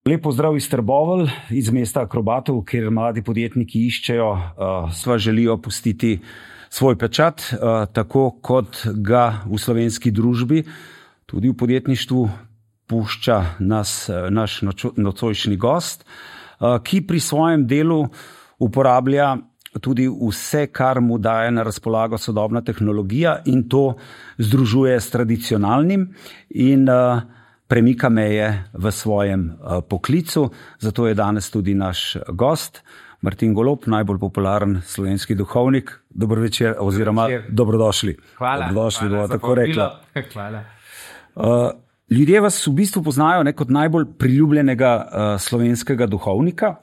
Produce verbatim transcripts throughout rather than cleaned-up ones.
Lep pozdrav iz Trbovelj, iz mesta akrobatov, kjer mladi podjetniki iščejo, uh, sva želijo pustiti svoj pečat, uh, tako kot ga v slovenski družbi, tudi v podjetništvu, pušča nas, naš nocojšnji gost, uh, ki pri svojem delu uporablja tudi vse, kar mu daje na razpolago sodobna tehnologija in to združuje s tradicionalnim in uh, premika meje v svojem uh, poklicu. Zato je danes tudi naš gost, Martin Golob, najbolj popularen slovenski duhovnik. Dober večer oziroma večer. Dobrodošli. Hvala. Dobrodošli, hvala bo tako rekla. Hvala. Uh, ljudje vas v bistvu poznajo ne, kot najbolj priljubljenega uh, slovenskega duhovnika.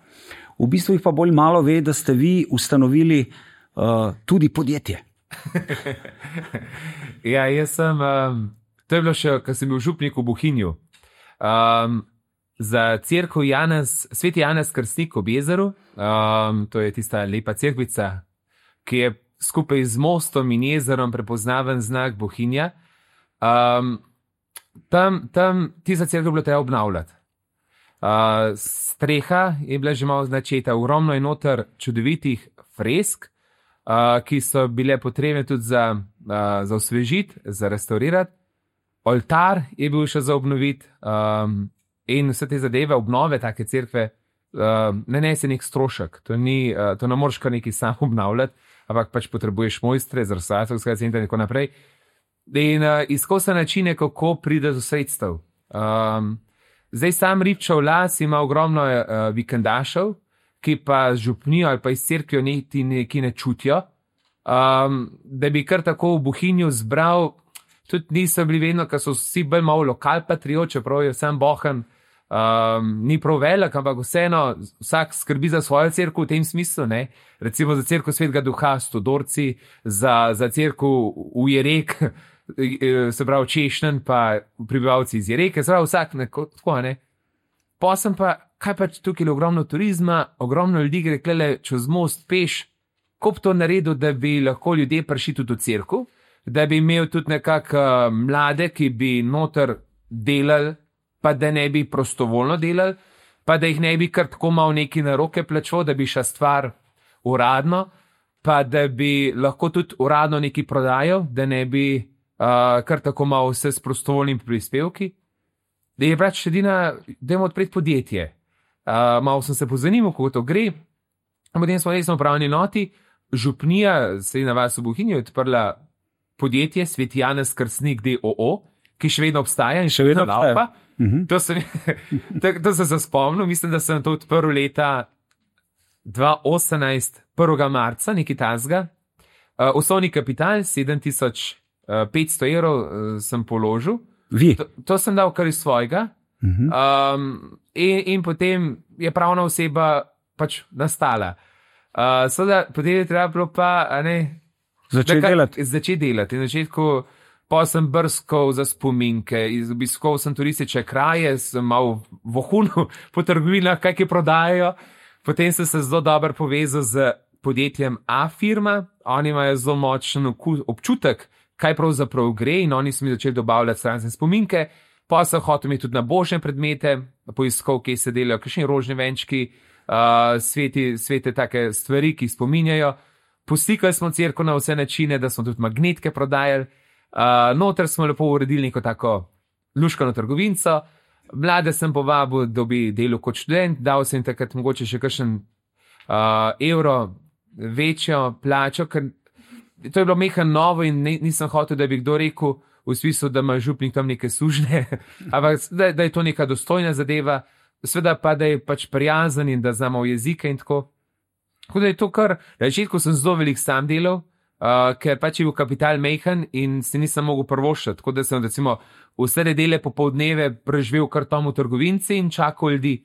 V bistvu jih pa bolj malo ve, da ste vi ustanovili uh, tudi podjetje. Ja, jaz sem... Um... To je bilo še, ko sem bil župnik v Bohinju. Um, za cerkev Janez, Sveti Janez Krstnik ob jezeru, um, to je tista lepa cerkvica, ki je skupaj z mostom in jezerom prepoznaven znak Bohinja. Um, tam, tam tista cerkev je bilo treba obnavljati. Uh, streha je bila že malo začeta, ogromno je noter čudovitih fresk, uh, ki so bile potrebne tudi za, uh, za osvežiti, za restaurirati. Oltar je bil še za obnoviti um, in vse te zadeve, obnove take cerkve, uh, ne nese nek strošek. To, ni, uh, to ne moreš kar nekaj sam obnavljati, ampak pač potrebuješ mojstre, zrcateljskega centra in tako naprej. In uh, iskal sem načine, kako pride do sredstev. Um, zdaj sam Ribčev las ima ogromno uh, vikendašev, ki pa z župnijo ali pa iz cerkvijo neki ne čutijo, um, da bi kar tako v Bohinju zbral. Tudi niso bili vedno, ker so vsi bolj malo lokal patriot, čeprav je vsem bohan, um, ni prav velik, ampak vseeno vsak skrbi za svojo cerkev v tem smislu, ne. Recimo za cerkev Svetega Duha Stodorci, za, za cerkev v Jerek, se pravi Češnen, pa prebivalci iz Jereke, se pravi vsak neko, tako, ne. Posem pa, kaj pa tukaj je ogromno turizma, ogromno ljudi gre klele čez most peš, ko bi to naredil, da bi lahko ljudje prišli tudi v cerkev, da bi imel tudi nekako uh, mlade, ki bi noter delali, pa da ne bi prostovoljno delali, pa da jih ne bi kar tako malo neki na roke plačal, da bi šla stvar uradno, pa da bi lahko tudi uradno neki prodajal, da ne bi uh, kar tako malo vse s prostovoljnimi prispevki. Da je pač edina, da imamo odpreti podjetje. Uh, malo sem se pozanimal, kako to gre, in potem smo resno upravni noti, župnija, srednja vas v Bohinju, je odprla podjetje Sveti Janez Krstnik d. o. o., ki še vedno obstaja in še vedno laupa. Uh-huh. To sem, to, to sem se spomnil, mislim, da sem to odprl leta dva tisoč osemnajst, prvega marca, nekaj tazga. Uh, osnovni kapital, sedem tisoč petsto evrov uh, sem položil. Vi? To, to sem dal kar iz svojega. Uh-huh. Um, in, in potem je pravna oseba pač nastala. Uh, Seveda, potem je treba bilo pa, a ne, Začeti delati. Začeti delati. Na začetku pa sem brskal za spominke, obiskal sem turistične kraje, sem mal vohunil po trgovinah, kaj ki prodajajo. Potem sem se zelo dobro povezal z podjetjem A-firma, oni imajo zelo močen občutek, kaj pravzaprav gre in oni so mi začeli dobavljati stranske spominke. Pa sem hotel imeti tudi na božne predmete, poiskal, kje se delajo, kakšni rožni venčki, uh, sveti, svete take stvari, ki spominjajo. Poslikali smo cerkev na vse načine, da smo tudi magnetke prodajali. Uh, noter smo lepo uredili neko tako luškano trgovinco. Mlade sem povabil, da bi delal kot študent, dal sem takrat mogoče še kakšen uh, evro večjo plačo, ker to je bilo mehan novo in ne, nisem hotel, da bi kdo rekel v smislu, da ima župnik tam neke sužne, ampak da, da je to neka dostojna zadeva, seveda pa, da je pač prijazen in da znamo jezike in tako. Tako da je to kar, na začetku sem zelo velik sam delal, uh, ker pač je bil kapital mejhan in se nisem mogel prvošati, tako da sem recimo vse nedele popoldneve preživel kar tam v trgovinci in čakal ljudi.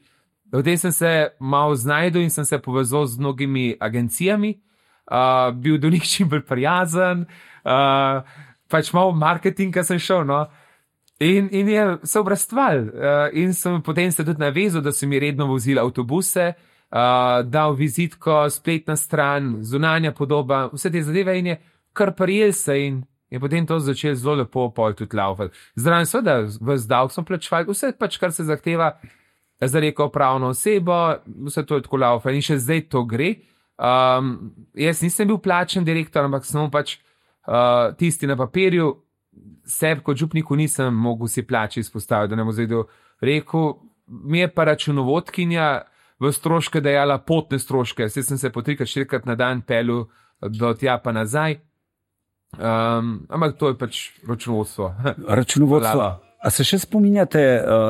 Potem sem se malo znajdel in sem se povezal z mnogimi agencijami, uh, bil do njih čim bolj prijazen, uh, pač malo marketinga sem šel, no. In, in je se obrastval uh, in sem potem se tudi navezal, da so mi redno vozili avtobuse, Uh, dal vizitko, spletna stran, zunanja podoba, vse te zadeve in je kar prijel se in je potem to začel zelo lepo pol tudi laufati. Zraven seveda, ves davek smo plačevali, vse pač, kar se zahteva za neko pravno osebo, vse to je tako laufa in še zdaj to gre. Um, jaz nisem bil plačen direktor, ampak samo pač uh, tisti na papirju, sebi kot župniku nisem mogel si plače izpostaviti, da ne bo zdaj rekel, mi je pa računovodkinja v stroške dajala potne stroške, zdaj sem se po trikrat, štirikrat na dan pelil do tja pa nazaj, um, ampak to je pač računovodstvo. Računovodstvo. A se še spominjate,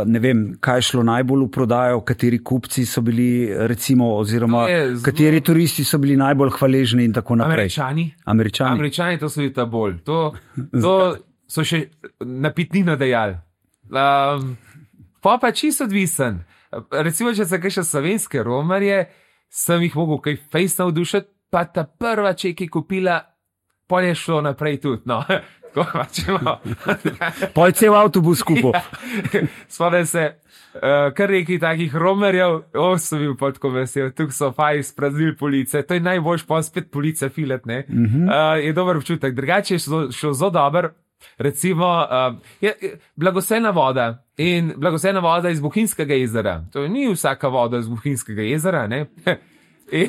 ne vem, kaj je šlo najbolj v prodajo, kateri kupci so bili, recimo, oziroma zelo... kateri turisti so bili najbolj hvaležni in tako naprej? Američani. Američani. Američani, to so bili ta bolj. To, to so še napitnino dejali. Um, pa pa čisto odvisen. Recimo, če se kaj še slovenske romarje, sem jih mogel kaj fejs navdušiti, pa ta prva, če je kupila, pa je šlo naprej tudi. No. Pol cel avtobus kupil. Spomnim se, uh, kar nekaj takih romerjev, o, sem bil pa tako vesel, tukaj so fajn spraznili police, to je najboljš pa spet police filet, ne. Uh -huh. uh, je dober občutek, drugače je šlo, šlo zelo dober, recimo, uh, je, je blagosena voda in blagosena voda iz Bohinjskega jezera, to ni vsaka voda iz Bohinjskega jezera, ne. in,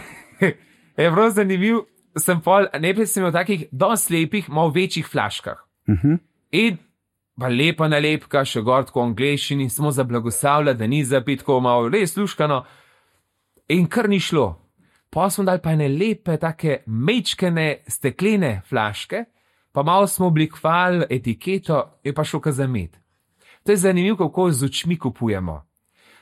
je prav zanimiv, sem pol, najprej sem imel takih dosti lepih, malo večjih flaškah. Uh-huh. In pa lepa nalepka, še gor tako v angleščini, samo za blagoslavlja, da ni zapit, tako malo res luškano. In kar ni šlo. Pa smo dali pa ene lepe, take mečkene, steklene flaške, pa malo smo oblikovali etiketo, je pa šlo ka za med. To je zanimivo, kako z očmi kupujemo.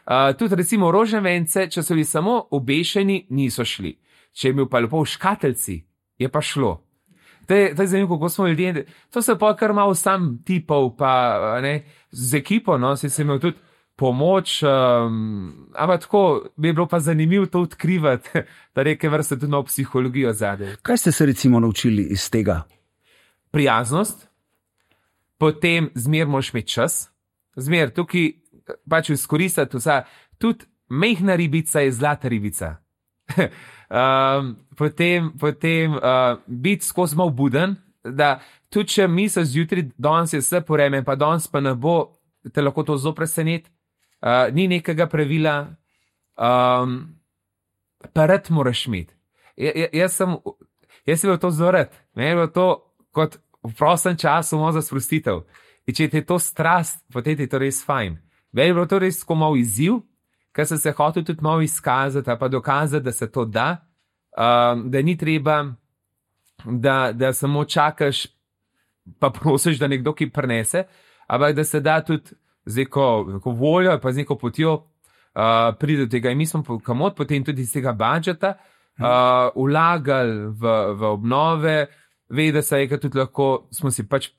Uh, tudi recimo roževence, če so bili samo obešeni, niso šli. Če je bil pa lepo v škateljci, je pa šlo. To je, to je zanimivo, kako smo ljudje, to se pa kar malo sam tipov, pa ne, z ekipo, no, si se imel tudi pomoč, um, ampak tako bi bilo pa zanimivo to odkrivati, da reke vrste tudi na psihologijo zadej. Kaj ste se recimo naučili iz tega? Prijaznost, potem zmer moraš imeti čas, zmer tukaj pač izkoristiti vsa, tudi mehna ribica je zlata ribica. Um, potem potem uh, biti skozi malo buden, da tudi če misliš zjutraj, danes je vse poreme, pa danes pa ne bo, te lahko to zelo preseneti, uh, ni nekega pravila, um, pa rad moraš imeti. Ja, ja, jaz sem, jaz sem bil to zelo rad, meni je bilo to kot v prostem času malo za sprostitev. In če ti je to strast, potem ti je to res fajn. Meni je bilo to res tako malo izziv, ker sem se hotel tudi malo izkazati, pa dokazati, da se to da, um, da ni treba, da, da samo čakaš, pa prosiš, da nekdo ki prenese, ampak da se da tudi z neko, neko voljo, pa z neko potjo uh, pride do tega. In mi smo kamot potem tudi iz tega budžeta uh, vlagali v, v obnove, ve, da se je tudi lahko, smo si pač,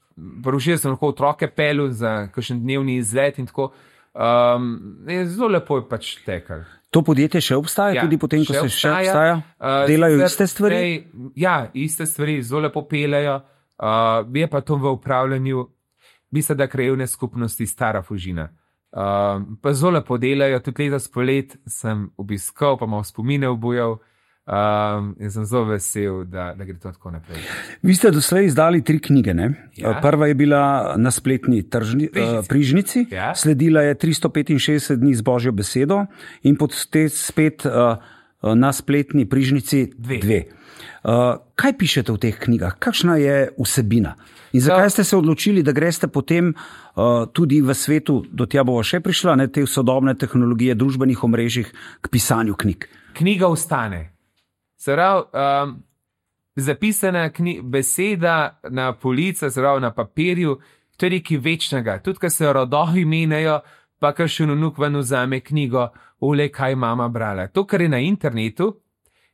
porušili smo lahko otroke pelju za kakšen dnevni izlet in tako. Um, je zelo lepo je pač tekal. To podjetje še obstaja, ja, tudi potem, ko se še obstaja? Uh, Delajo iste stvari? Prej, ja, iste stvari, zelo lepo pelejo. Uh, je pa to v upravljanju, mislim, da krajevne skupnosti Stara Fužina. Uh, pa zelo lepo delajo, tudi leta spolet sem obiskal, pa malo spomine obujal. Um, in sem zelo vesel, da, da gre to tako naprej. Vi ste doslej izdali tri knjige, ne? Ja. Prva je bila na spletni tržni, Prižnici, uh, Prižnici. Ja. Sledila je tristo petinšestdeset dni z Božjo besedo in potem spet uh, na spletni Prižnici dve. dve. Uh, kaj pišete v teh knjigah? Kakšna je vsebina? In zakaj ste se odločili, da greste potem uh, tudi v svetu, do tja bova še prišla, ne, te sodobne tehnologije, družbenih omrežjih k pisanju knjig? Knjiga ostane. Zdrav, um, zapisana kni, beseda na polica, zdrav, na papirju, to je nekaj večnega. Tudi, ko se rodovi menjajo, pa kar še vnuk ven vzame knjigo, ule, kaj mama brala. To, kar je na internetu,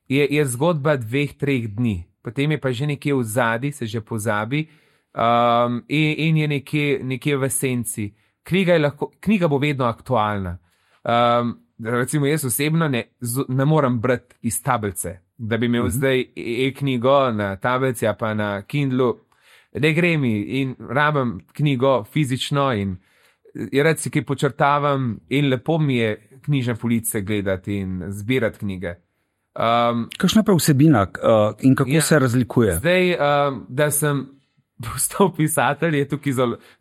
je, je zgodba dveh, treh dni. Potem je pa že nekje v zadnji, se že pozabi, um, in, in je nekje, nekje v esenci. Knjiga, je lahko, knjiga bo vedno aktualna. Um, recimo, jaz osebno ne, ne morem brati iz tablice. Da bi imel uh-huh. zdaj e-knjigo na tablici, a pa na Kindlu, ne gre mi in rabim knjigo fizično in rad si kaj počrtavam in lepo mi je knjižne police gledati in zbirati knjige. Um, Kakšna pa vsebina uh, in kako ja, se razlikuje? Zdaj, um, da sem postal pisatelj, je tukaj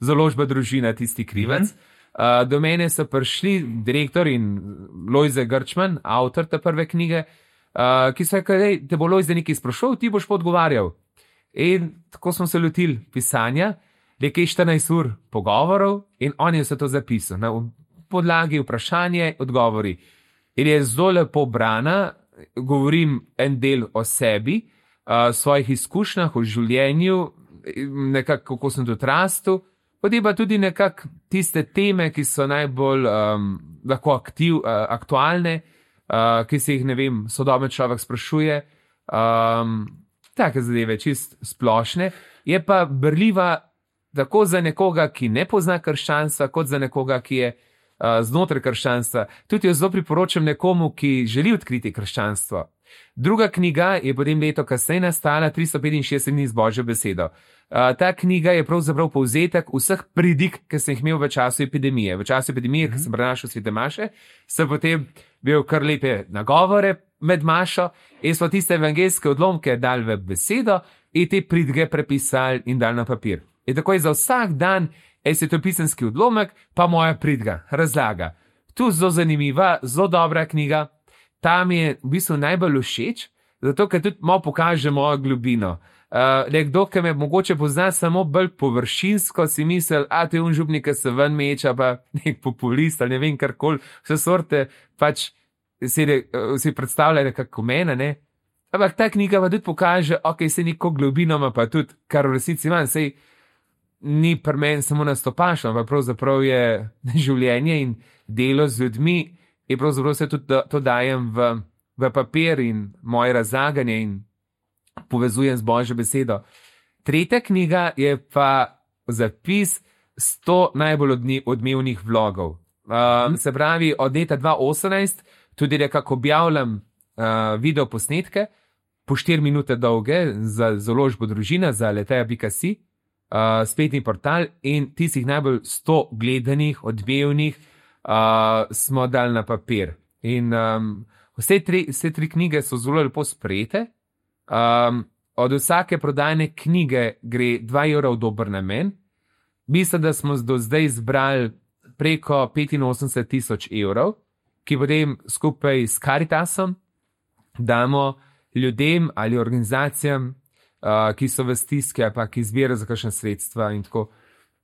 založba Družina tisti krivec. Uh-huh. Uh, do mene so prišli direktor in Lojze Grčman, avtor te prve knjige, uh, ki so rekli, te bo Lojze nekaj sprašal, ti boš pa odgovarjal. In tako smo se lotili pisanja, nekaj štirinajst ur pogovorov in on je vse to zapisal. Na podlagi vprašanje, odgovori. In je zelo lepo brana, govorim en del o sebi, o svojih izkušnjah, o življenju, nekako kako sem tudi rastel, potem pa tudi nekako tiste teme, ki so najbolj um, lahko aktiv, uh, aktualne, uh, ki se jih, ne vem, sodoben človek sprašuje, um, take zadeve, čist splošne, je pa berljiva tako za nekoga, ki ne pozna krščanstva, kot za nekoga, ki je uh, znotraj krščanstva. Tudi jo zelo priporočam nekomu, ki želi odkriti krščanstvo. Druga knjiga je potem leto kasneje nastala, tristo petinšestdeset dni z Božjo besedo. Uh, ta knjiga je pravzaprav povzetek vseh pridig, ki sem jih imel v času epidemije. V času epidemije, mm-hmm. ki sem prenašal svete maše, sem potem bil kar lepe nagovore med mašo in smo tiste evangeljske odlomke dali v besedo in te pridige prepisali in dali na papir. In tako je za vsak dan svetopisanski odlomek, pa moja pridiga, razlaga. Tu zelo zanimiva, zelo dobra knjiga. Tam je v bistvu najbolj všeč, zato ker tudi malo pokaže mojo globino. Uh, nekdo, ki me mogoče pozna samo bolj površinsko, si misel, a te unžupnik, ki se ven meča, pa nek populist ali ne vem karkoli, vse sorte, pač si, si predstavljajo nekako mene, ne? Ampak ta knjiga pa tudi pokaže, ok, se neko globino ima pa tudi, kar v resnici imam, sej ni pri meni samo nastopašno, ampak pravzaprav je življenje in delo z ljudmi in pravzaprav se tudi to dajem v, v papir in moje razlaganje in povezujem z Božjo besedo. Tretja knjiga je pa zapis sto najbolj odmevnih vlogov. Uh, se pravi, od leta dva tisoč osemnajst tudi nekako objavljam uh, video posnetke, po štiri minute dolge, za založbo Družina, za leteja pika si, uh, spletni portal in tistih najbolj sto gledanih, odmevnih uh, smo dali na papir. In um, vse, tri, vse tri knjige so zelo lepo sprejete. Um, od vsake prodajne knjige gre dva evra v dober namen. Mislim, da smo do zdaj zbrali preko petinosemdeset tisoč evrov, ki potem skupaj s Caritasom damo ljudem ali organizacijam, uh, ki so v stiski, pa ki zbirajo za kakšne sredstva in tako.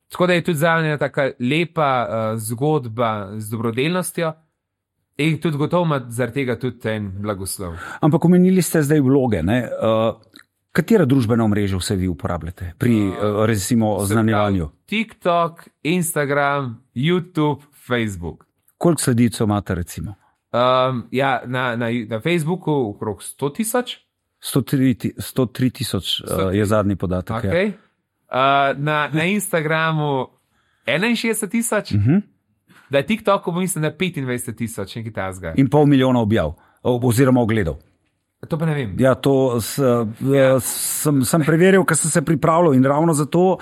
Tako da je tudi za mene taka lepa uh, zgodba z dobrodelnostjo. In tudi gotovo ima zaradi tega tudi en blagoslov. Ampak omenili ste zdaj vloge. Ne? Uh, katera družbena omrežja vse vi uporabljate pri uh, recimo oznanjevanju? TikTok, Instagram, YouTube, Facebook. Koliko sledilcev imate recimo? Um, ja, na, na, na Facebooku okrog sto tisoč. sto tri tisoč uh, je zadnji podatek. Okay. Ja. Uh, na, na Instagramu enainšestdeset tisoč. Uh-huh. Da je TikToku, mislim, da petindvajset tisoč, nekaj tazga. In pol milijona objav, oziroma ogledov. To pa ne vem. Ja, to s, ja. Sem, sem preveril, ker sem se pripravljal in ravno zato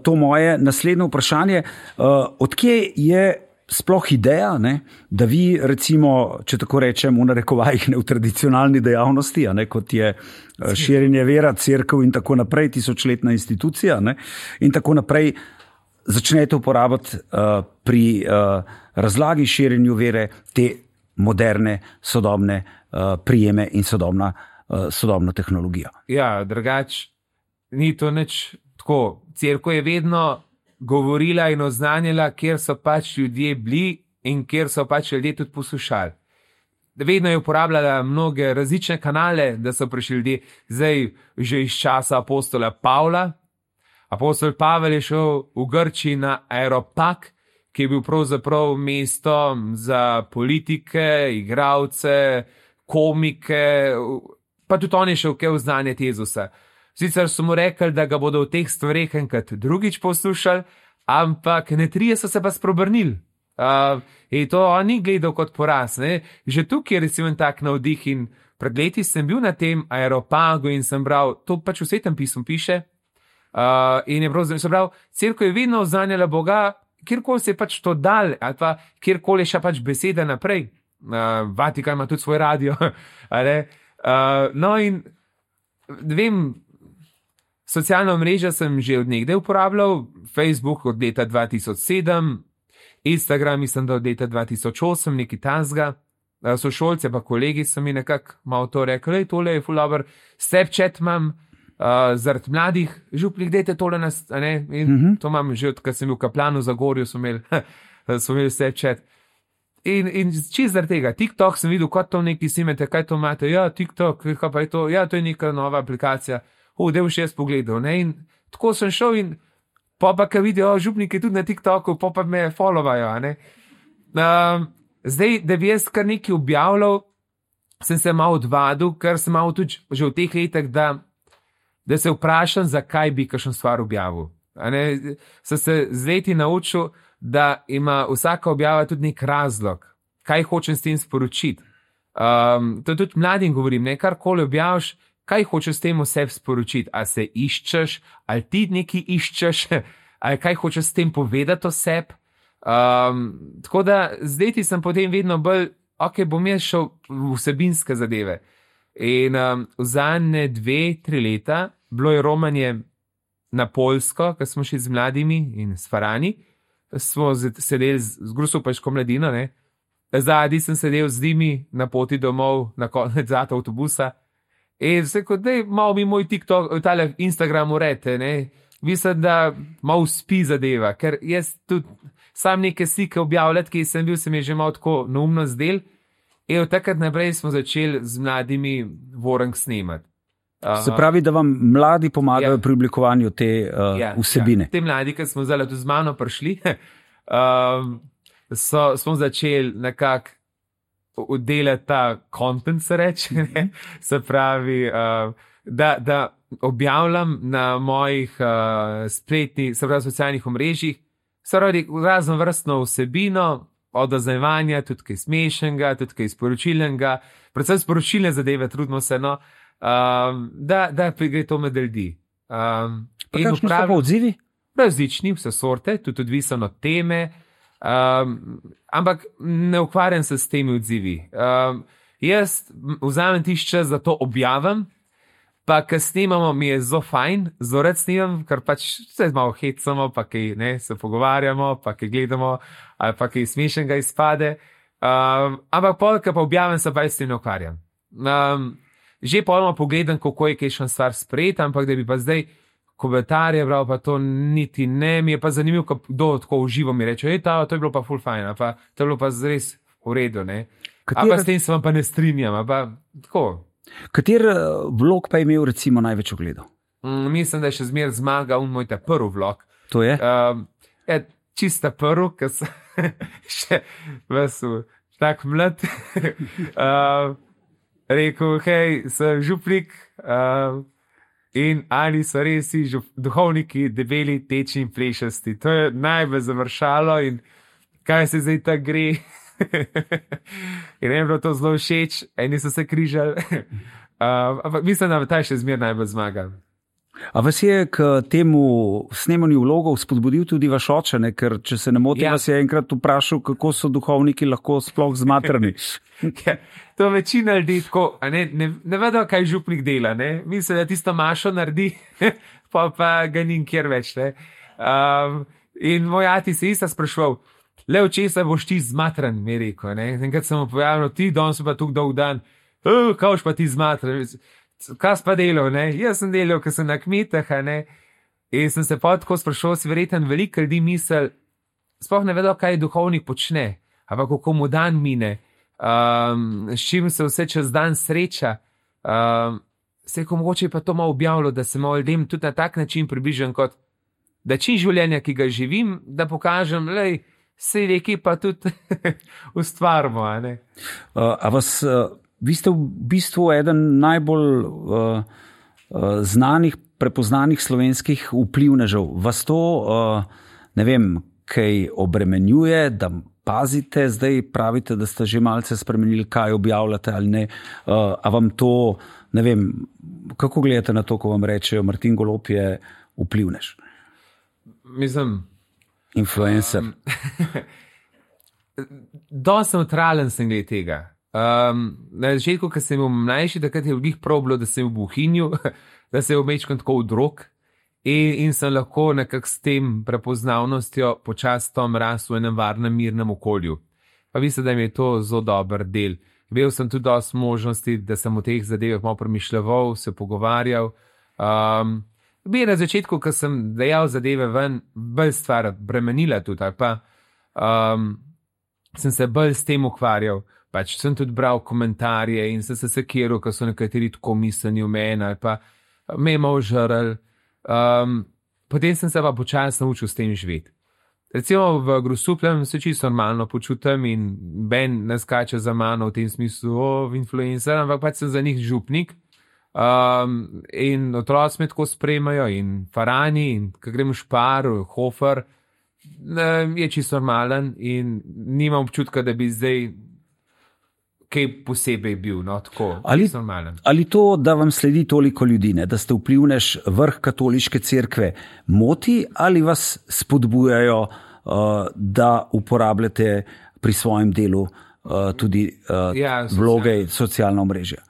to moje naslednje vprašanje. Odkje je sploh ideja, ne, da vi recimo, če tako rečem, v narekovajih ne v tradicionalni dejavnosti, a ne, kot je širjenje vera, cerkev in tako naprej, tisočletna institucija, ne, in tako naprej, začnete uporabljati uh, pri uh, razlagi širjenju vere te moderne, sodobne uh, prijeme in sodobna, uh, sodobno tehnologijo. Ja, drugač, ni to nič tako. Cerkev je vedno govorila in oznanjala, kjer so pač ljudje bili in kjer so pač ljudje tudi poslušali. Vedno je uporabljala mnoge različne kanale, da so prišli ljudje, zdaj že iz časa apostola Pavla. Apostol Pavel je šel v Grčiji na Aeropag, ki je bil pravzaprav mesto za politike, igralce, komike, pa tudi on je šel kaj oznanjati Jezusa. Sicer so mu rekli, da ga bodo v teh stvareh enkrat drugič poslušali, ampak ne trije so se pa spreobrnili. Uh, in to on ni gledal kot poraz. Ne? Že tukaj je recimo tak navdih in pred leti sem bil na tem Aeropagu in sem bral, to pač v Svetem pismu piše, Uh, in je prav, se pravi, cerkev je vedno oznanjala Boga, kjerkoli se je pač to dal, ali pa kjerkoli je še pač beseda naprej. Uh, Vatikan ima tudi svoj radio. uh, no in, vem, socialna mreža sem že od nekdaj uporabljal, Facebook od leta dva tisoč sedem, Instagram, mislim, da od leta dva tisoč osem, neki tazga. Sošolce pa kolegi so mi nekako malo to rekli, lej, tole je ful dober, Snapchat imam, uh, zaradi mladih župnik, dejte tole nas, a ne, in uh -huh. to imam že od, kad sem bil v Kaplanu za Gorju, so imeli, so imeli Snapchat. In, in čist zaradi tega, TikTok sem videl, kot to neki simete, kaj to imate, ja, TikTok, kaj pa je to, ja, to je neka nova aplikacija, uh, da boš jaz pogledal, ne, in tako sem šel in pa pa, kaj vidijo, župniki tudi na TikToku, pa pa me followajo, a ne. Um, Zdaj, da bi jaz kar nekaj objavljal, sem se malo odvadil, ker sem malo tudi že v teh letih, da, da se vprašam, zakaj bi kakšno stvar objavil. Sem se z leti naučil, da ima vsaka objava tudi nek razlog, kaj hočem s tem sporočiti. Um, to tudi mladim govorim, ne, karkoli objaviš, kaj hočeš s tem vse sporočiti. A se iščeš, ali ti nekaj iščeš, ali kaj hočeš s tem povedati o sebi. Um, tako da zdaj ti sem potem vedno bolj, ok, bom jaz šel v vsebinske zadeve. In um, v zadnje dve, tri leta bilo je romanje na Poljsko, ko smo šli z mladimi in s Farani, smo sedeli z, z Grusopeško mladino, ne. Zadnji sem sedel z njimi na poti domov, na konec zata avtobusa in se kot, dej, malo mi moj TikTok, tale Instagram urete, ne. Mislim, da malo spi zadeva, ker jaz tudi sam neke slike objavljati, ki sem bil, se mi je že malo tako neumno zdel. In od takrat naprej smo začeli z mladimi vorank snemati. Uh, se pravi, da vam mladi pomagajo ja. pri oblikovanju te uh, ja, vsebine. Ja. Te mladi, ki smo zdaj tudi z mano prišli, uh, so, smo začeli nekako delati ta content, se reče. Ne? Se pravi, uh, da, da objavljam na mojih uh, spletnih, se pravi, socialnih omrežjih, se pravi, razno vrstno vsebino, od oznajevanja, tudi kaj smešnega, tudi kaj sporočilnega, predvsem sporočilne zadeve, trudimo se, no, um, da, da gre to med ljudi. Um, pa kakšni so pa odzivi? Različni, vse sorte, tudi odvisno od teme, um, ampak ne ukvarjam se s temi odzivi. Um, jaz vzamem tisti čas, da to objavim, pa ko snemamo, mi je zelo fajn, zelo rad snemam, ker pač se malo hecamo, pa kaj ne, se pogovarjamo, pa kaj gledamo, ali pa kaj smešnega izpade. Um, ampak pol, ko pa objavim, se pa s tem ne ukvarjam. Um, že polno pogledam, kako je kakšna stvar sprejeta, ampak da bi pa zdaj komentarje bral, pa to niti ne, mi je pa zanimivo, kdo tako uživo mi reče, ej, ta, to je bilo pa ful fajn, pa to je bilo pa res v redu, ne. Katera... A pa s tem se vam pa ne strinjam, a pa tako. Kater vlog pa je imel recimo največ ogledov? Mm, mislim, da je še zmer zmagal un moj ta prvi vlog. To je? Um, je čista prvi, ker sem še vas tak mlad. uh, rekel, hej, sem župnik uh, in ali so res žup, duhovniki debeli, tečni in plešasti. To je najbolj završalo in kaj se zdaj tako gre. In ne je bilo to zelo všeč, eni so se križali, uh, ampak mislim, da ta še zmer najbolj zmaga. A vas je k temu snemanju vlogov spodbudil tudi vaš oče, ne? Ker če se ne motim, ja. vas je enkrat vprašal, kako so duhovniki lahko sploh zmatrani. Ja, to večina ljudi tako, ne, ne, ne vedo, kaj župnik dela, ne? Mislim, da tisto mašo naredi, pa pa ga ni nikjer več, ne? Um, in moj ati se isto spraševal, le v česa boš ti zmatran, mi je rekel, ne. Enkrat sem mu pojavil, ti danes pa tukaj dolg dan, oh, kaj boš pa ti zmatran, kaj si pa delal, ne. Jaz sem delal, ker sem na kmetah, ne. In sem se pa tako sprašal, si verjetno veliko ljudi misel, sploh ne vedo, kaj duhovnik počne, ampak kako mu dan mine, um, s čim se vse čez dan sreča. Um, se je ko mogoče pa to malo objavilo, da se malo ljudem tudi na tak način približam, kot da čim življenja, ki ga živim, da pokažem, lej, se nekaj pa tudi ustvarimo, a ne? Uh, a vas, uh, vi ste v bistvu eden najbolj uh, uh, znanih, prepoznanih slovenskih vplivnežev. Vas to, uh, ne vem, kaj obremenjuje, da pazite, zdaj pravite, da ste že malce spremenili, kaj objavljate ali ne. Uh, a vam to, ne vem, kako gledate na to, ko vam rečejo, Martin Golob je vplivnež? Mislim... Influencer. Um, Dosti neutralen sem glede tega. Um, na začetku, ko sem bil mlajši, takrat je v njih prav bilo, da sem v Bohinju, da sem v mečkom tako v drog in, in sem lahko nekako s tem prepoznavnostjo počastom rasel v enem varnem, mirnem okolju. Pa mislim, da mi je to zelo dober del. Imel sem tudi dosti možnosti, da sem o teh zadevah malo premišljeval, se pogovarjal. Um, bi na začetku, ko sem dejal zadeve ven, bolj stvar bremenila tudi, ali pa um, sem se bolj s tem ukvarjal. Pač sem tudi bral komentarje in sem se sekiral, ko so nekateri tako misleni v meni, ali pa me je malo žrl. Um, potem sem se pa počasi naučil s tem živeti. Recimo v Grosupljem se čisto normalno počutim in Ben ne skače za mano v tem smislu, o, influencer, ampak pač sem za njih župnik. Um, in otroci me tako spremajo in Farani in ko grem v Špar, Hofer, je čisto normalen in nimam občutka, da bi zdaj kaj posebej bil, no, tako, ali, ali to, da vam sledi toliko ljudi, ne, da ste vplivnež vrh katoliške cerkve, moti ali vas spodbujajo, uh, da uporabljate pri svojem delu uh, tudi uh, ja, vloge in socialna omrežja?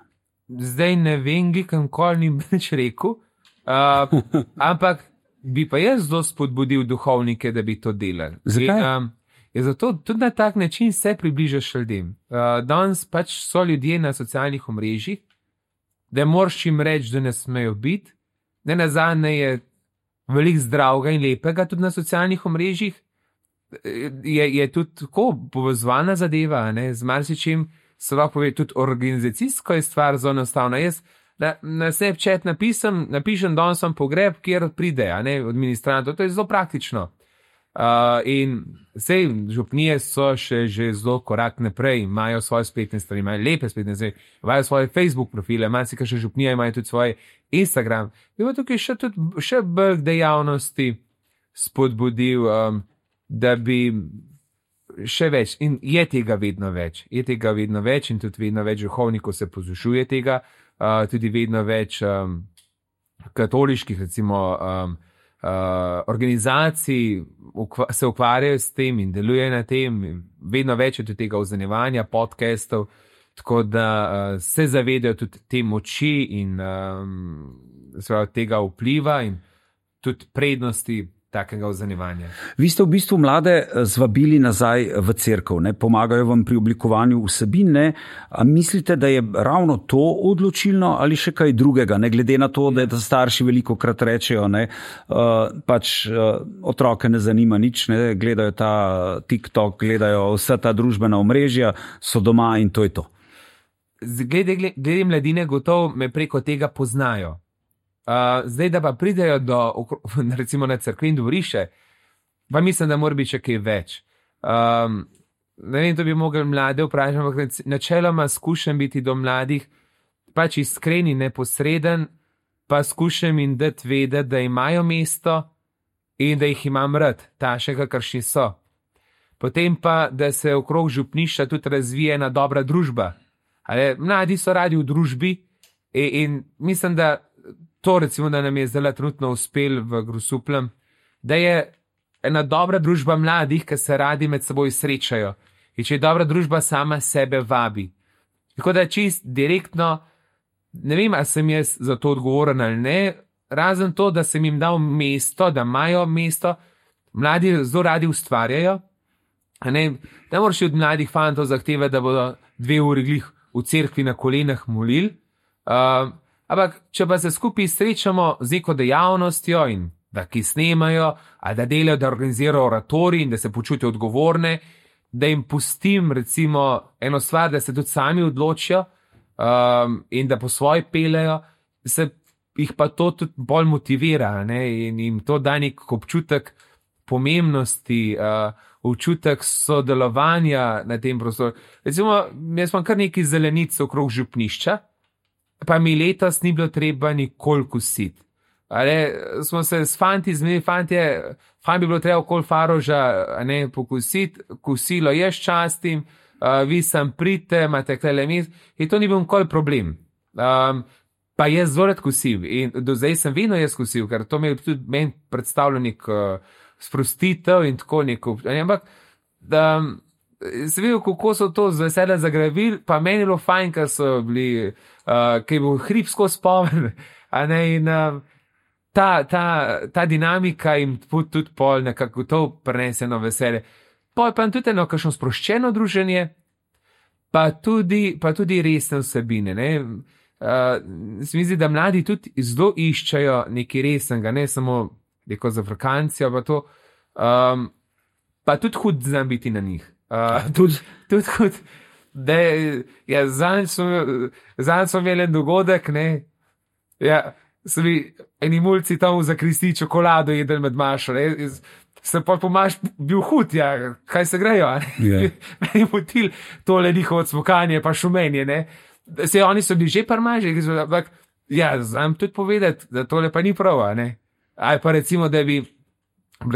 Zdaj ne vem, kam kol ni več rekel, uh, ampak bi pa jaz zelo spodbudil duhovnike, da bi to delali. Zakaj? In, um, je zato tudi na tak način se približaš ljudem. Uh, danes pač so ljudje na socialnih omrežjih, da moraš jim reči, da ne smejo biti. Ne nazadnje je veliko zdravega in lepega tudi na socialnih omrežjih. Je, je tudi tako povezovana zadeva, ne, z marsičim se lahko pove, tudi organizacijsko je stvar zelo enostavna. Jaz na, na Snapchat napisem, napišem, danes sem pogreb, kjer pride, a ne, administrator, to je zelo praktično. Uh, in sej župnije so še že zelo korak naprej, imajo svoje spletne strani, imajo lepe spletne strani, imajo svoje Facebook profile, imajo si še župnije, imajo tudi svoj Instagram. Bi pa tukaj še, tudi, še bolj dejavnosti spodbudil, um, da bi še več, in je tega vedno več, je tega vedno več in tudi vedno več duhovnikov se poslušuje tega, uh, tudi vedno več um, katoliških, recimo, um, Uh, organizacij ukva, se ukvarjajo s tem in delujejo na tem, vedno več je tudi tega oznanjevanja, podcastov, tako da uh, se zavedajo tudi te moči in um, tega vpliva in tudi prednosti takega oznanjevanja. Vi ste v bistvu mlade zvabili nazaj v cerkev, ne? Pomagajo vam pri oblikovanju vsebin, ne? A mislite, da je ravno to odločilno ali še kaj drugega, ne glede na to, da starši veliko krat rečejo, ne? Uh, pač uh, otroke ne zanima nič, ne? Gledajo ta TikTok, gledajo vsa ta družbena omrežja, so doma in to je to. Glede, glede mladine gotovo me preko tega poznajo. Uh, zdaj, da pa pridejo do, recimo na cerkve in dvorišče, pa mislim, da mora biti še kaj več. Um, ne vem, to bi mogli mlade vprašati, ampak načeloma skušam biti do mladih pač iskreni, neposreden, pa skušam jim dati vedeti, da imajo mesto in da jih imam rad, tašega, kakršni so. Potem pa, da se okrog župnišča tudi razvije ena dobra družba. Ale, mladi so radi v družbi in, in mislim, da to recimo, da nam je zdaj trenutno uspel v Grosupljem, da je ena dobra družba mladih, ki se radi med seboj srečajo. In če je dobra družba, sama sebe vabi. Tako da čist direktno, ne vem, ali sem jaz za to odgovoren ali ne, razen to, da sem jim dal mesto, da imajo mesto, mladi zelo radi ustvarjajo. Ne, ne moraš od mladih fantov zahtevati, da bodo dve uri glih v cerkvi na kolenah molili. Uh, Ampak, če pa se skupaj srečamo z neko dejavnostjo in da ki snemajo, ali da delajo, da organizirajo oratorij in da se počutijo odgovorne, da jim pustim recimo eno stvar, da se tudi sami odločijo um, in da po svoje pelejo, se jih pa to tudi bolj motivira, ne? In jim to da nek občutek pomembnosti, uh, občutek sodelovanja na tem prostoru. Recimo, jaz imam kar nekaj zelenic okrog župnišča, pa mi letos ni bilo treba nikoli kositi. Ale, smo se s fanti zmenili, fantje, fajn bi bilo treba okoli Faroža ne, pokositi, kosilo jaz častim, uh, vi sem pridite, imate klele mes, in to ni bil nikoli problem. Um, pa jaz zelo rad kosil in do zdaj sem vedno jaz kosil, ker to mi je tudi meni predstavljal nek uh, sprostitev in tako neko, ampak da se videl, kako so to z veseljem zagravili, pa meni je bilo fajn, ker so bili, uh, ker je bil hrib skozi pomen, a ne, in uh, ta, ta, ta dinamika jim tudi pol nekako to prenese eno veselje. Pol pa tudi eno kakšno sproščeno druženje, pa tudi, pa tudi resne vsebine. Ne? Uh, se mi zdi, da mladi tudi zelo iščejo nekaj resnega, ne samo neko z Afrikancijo, pa to, um, pa tudi hud znam biti na njih. Uh, tudi, tudi hud, da ja, zadnjič smo imeli en dogodek, ne, ja, so mi eni mulci tam za kristi čokolado jedli med mašo, ne, se pa pomaš bil hud, ja, kaj se grejo, ne, yeah. Meni motil tole njihovo odsmokanje, pa šumenje, ne, se oni so bili že parmaži, ampak, ja, znam tudi povedati, da tole pa ni prav, ne, ali pa recimo, da bi,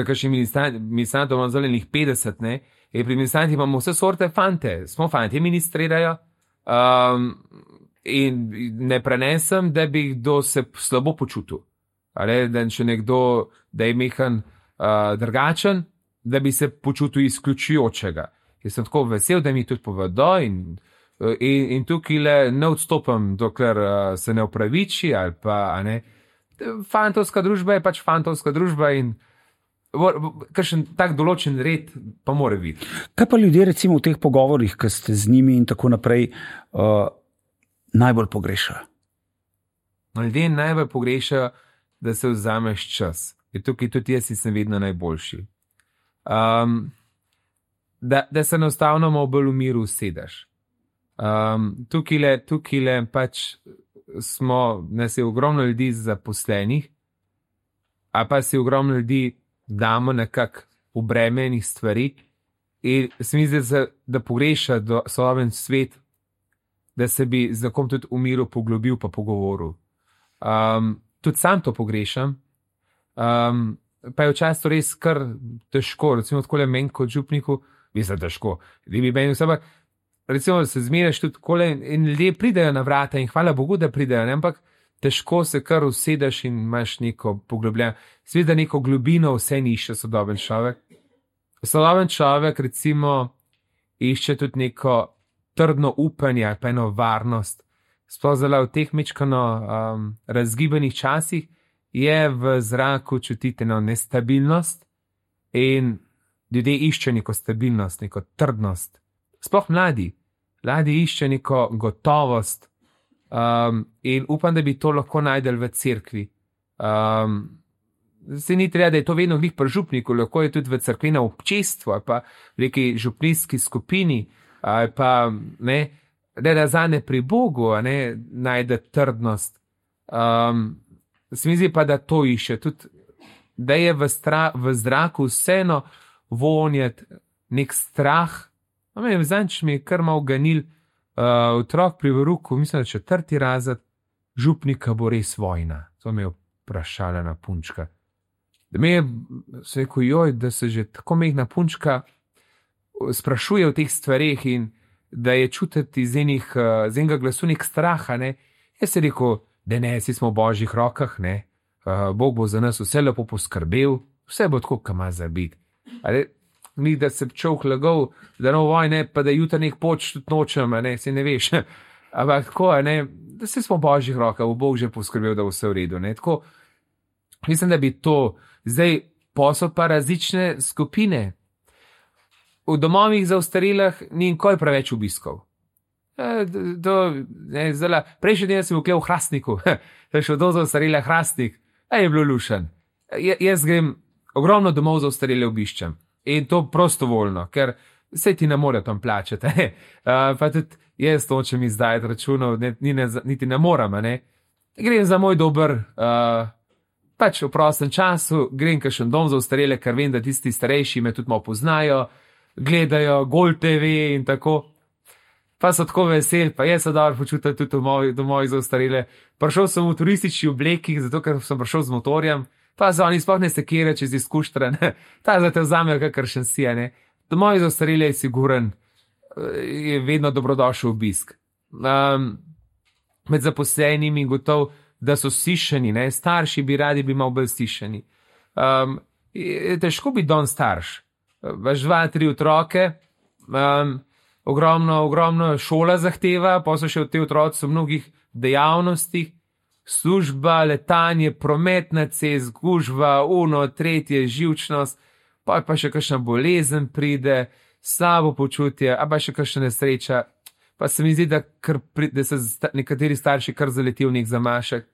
kakšni ministranti imamo zelenih petdeset, ne, in pri ministranti imamo vse sorte fante, smo fanti, ministrirajo, um, in ne prenesem, da bi kdo se slabo počutil, ali da če nekdo, da je mehan uh, drugačen, da bi se počutil izključujočega. Jaz sem tako vesel, da mi tudi povedo in, in, in tukaj le ne odstopam, dokler uh, se ne opraviči, ali pa, a ne, fantovska družba je pač fantovska družba in kakšen tak določen red pa mora biti. Kaj pa ljudje recimo v teh pogovorih, ki ste z njimi in tako naprej, uh, najbolj pogrešajo? Ljudje najbolj pogrešajo, da se vzameš čas. In tukaj tudi jaz sem vedno najboljši. Um, da, da se enostavno malo bolj v miru usedeš. Um, tukaj le, tukaj le pač smo, nas je ogromno ljudi zaposlenih, a pa si ogromno ljudi damo nekako v breme enih stvari in se mi zdi, da pogreša do sodoben svet, da se bi z kom tudi v miru poglobil pa pogovoril. Um, tudi sam to pogrešam, um, pa je včasih to res kar težko, recimo takole meni kot župniku, mislim težko, da bi meni vse, recimo, da se zmeraš tudi takole in ljudje pridejo na vrata in hvala Bogu, da pridejo, ne? Ampak težko se kar usedeš in imaš neko poglobljeno, seveda neko globino vse ni išče sodoben človek. Sodoben človek recimo išče tudi neko trdno upanje ali pa eno varnost. Sploh zelo v teh mečkano um, razgibanih časih je v zraku čutiti eno nestabilnost in ljudje išče neko stabilnost, neko trdnost. Sploh mladi. Mladi išče neko gotovost. Um, in upam, da bi to lahko najdel v cerkvi. Um, se ni treba, da je to vedno glih pri župniku, lahko je tudi v cerkvenem občestvu, ali pa v neki župnijski skupini, ali pa ne, da da zane pri Bogu ne, najde trdnost. Um, se mi zdi pa, da to išče, tudi, da je v, stra, v zraku vseeno vonjati nek strah. Zanč mi je kar malo ganil, Uh, otrok pri veruku, mislim, da četrti razred, župnika bo res vojna. To me je vprašala na punčka. Da me je rekel, joj, da se že tako mehna punčka sprašuje o teh stvareh in da je čutiti iz, enih, uh, iz enega glasu nek straha. Ne? Jaz sem rekel, da ne, si smo v božjih rokah, ne? Uh, Bog bo za nas vse lepo poskrbel, vse bo tako, kam ima za biti. Ni, da se človek lagal, da no vojne, pa da jutra nek poč tudi nočem, ne, se ne veš. Ampak tako, ne, da se smo v božjih rokah, bo Bog že poskrbel, da bo vse v redu. Ne. Tako, mislim, da bi to, zdaj posod pa različne skupine. V domovih za ostarelih ni nikoli preveč obiskov. E, do, ne, zdala, prejšnji dan sem vkle v Hrastniku, da šel do za ostarele Hrastnik, a je bilo lušen. J, jaz grem ogromno domov za ostarele obiščem. In to prostovoljno, ker se ti ne more tam plačati. uh, pa tudi jaz to, če mi zdaj računov, ne, ne, niti ne moram. Ne? Grem za moj dober, uh, pač v prostem času, grem kakšen dom za ostarele, ker vem, da tisti starejši me tudi malo poznajo, gledajo Gol te ve in tako. Pa so tako veseli, pa jaz se dobro počutim tudi v domovih za ostarele. Prišel sem v turistični obleki, zato ker sem prišel z motorjem, pa za oni sploh ne se kere čez izkuštren, ta za te vzamejo kakršen si, ne. Domovi za ostarele je siguren, je vedno dobrodošel obisk. Um, med zaposlenimi gotov, da so stišeni, ne, starši bi radi bi malo bolj stišeni. Um, je težko biti don starš. Vaš dva, tri otroke, um, ogromno, ogromno šola zahteva, pa so še v te otroci v mnogih dejavnostih, služba, letanje, promet na cest, gužva, uno, tretje, živčnost, pa pa še kakšna bolezen pride, slabo počutje, a pa še kakšna nesreča. Pa se mi zdi, da, kar pri, da se nekateri starši kar zaletijo v nek zamašek,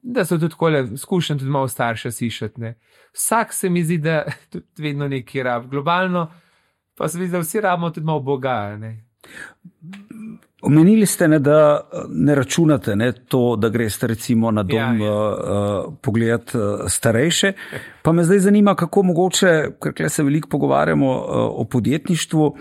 da so tudi kole, skušam tudi malo starša sišati. Ne. Vsak se mi zdi, da tudi vedno nekaj rab. Globalno pa se mi zdi, da vsi rabimo tudi malo Boga. Ne. Omenili ste, ne, da ne računate ne, to, da greste recimo na dom ja, ja. Uh, pogledati uh, starejše. Pa me zdaj zanima, kako mogoče, ker se veliko pogovarjamo uh, o podjetništvu,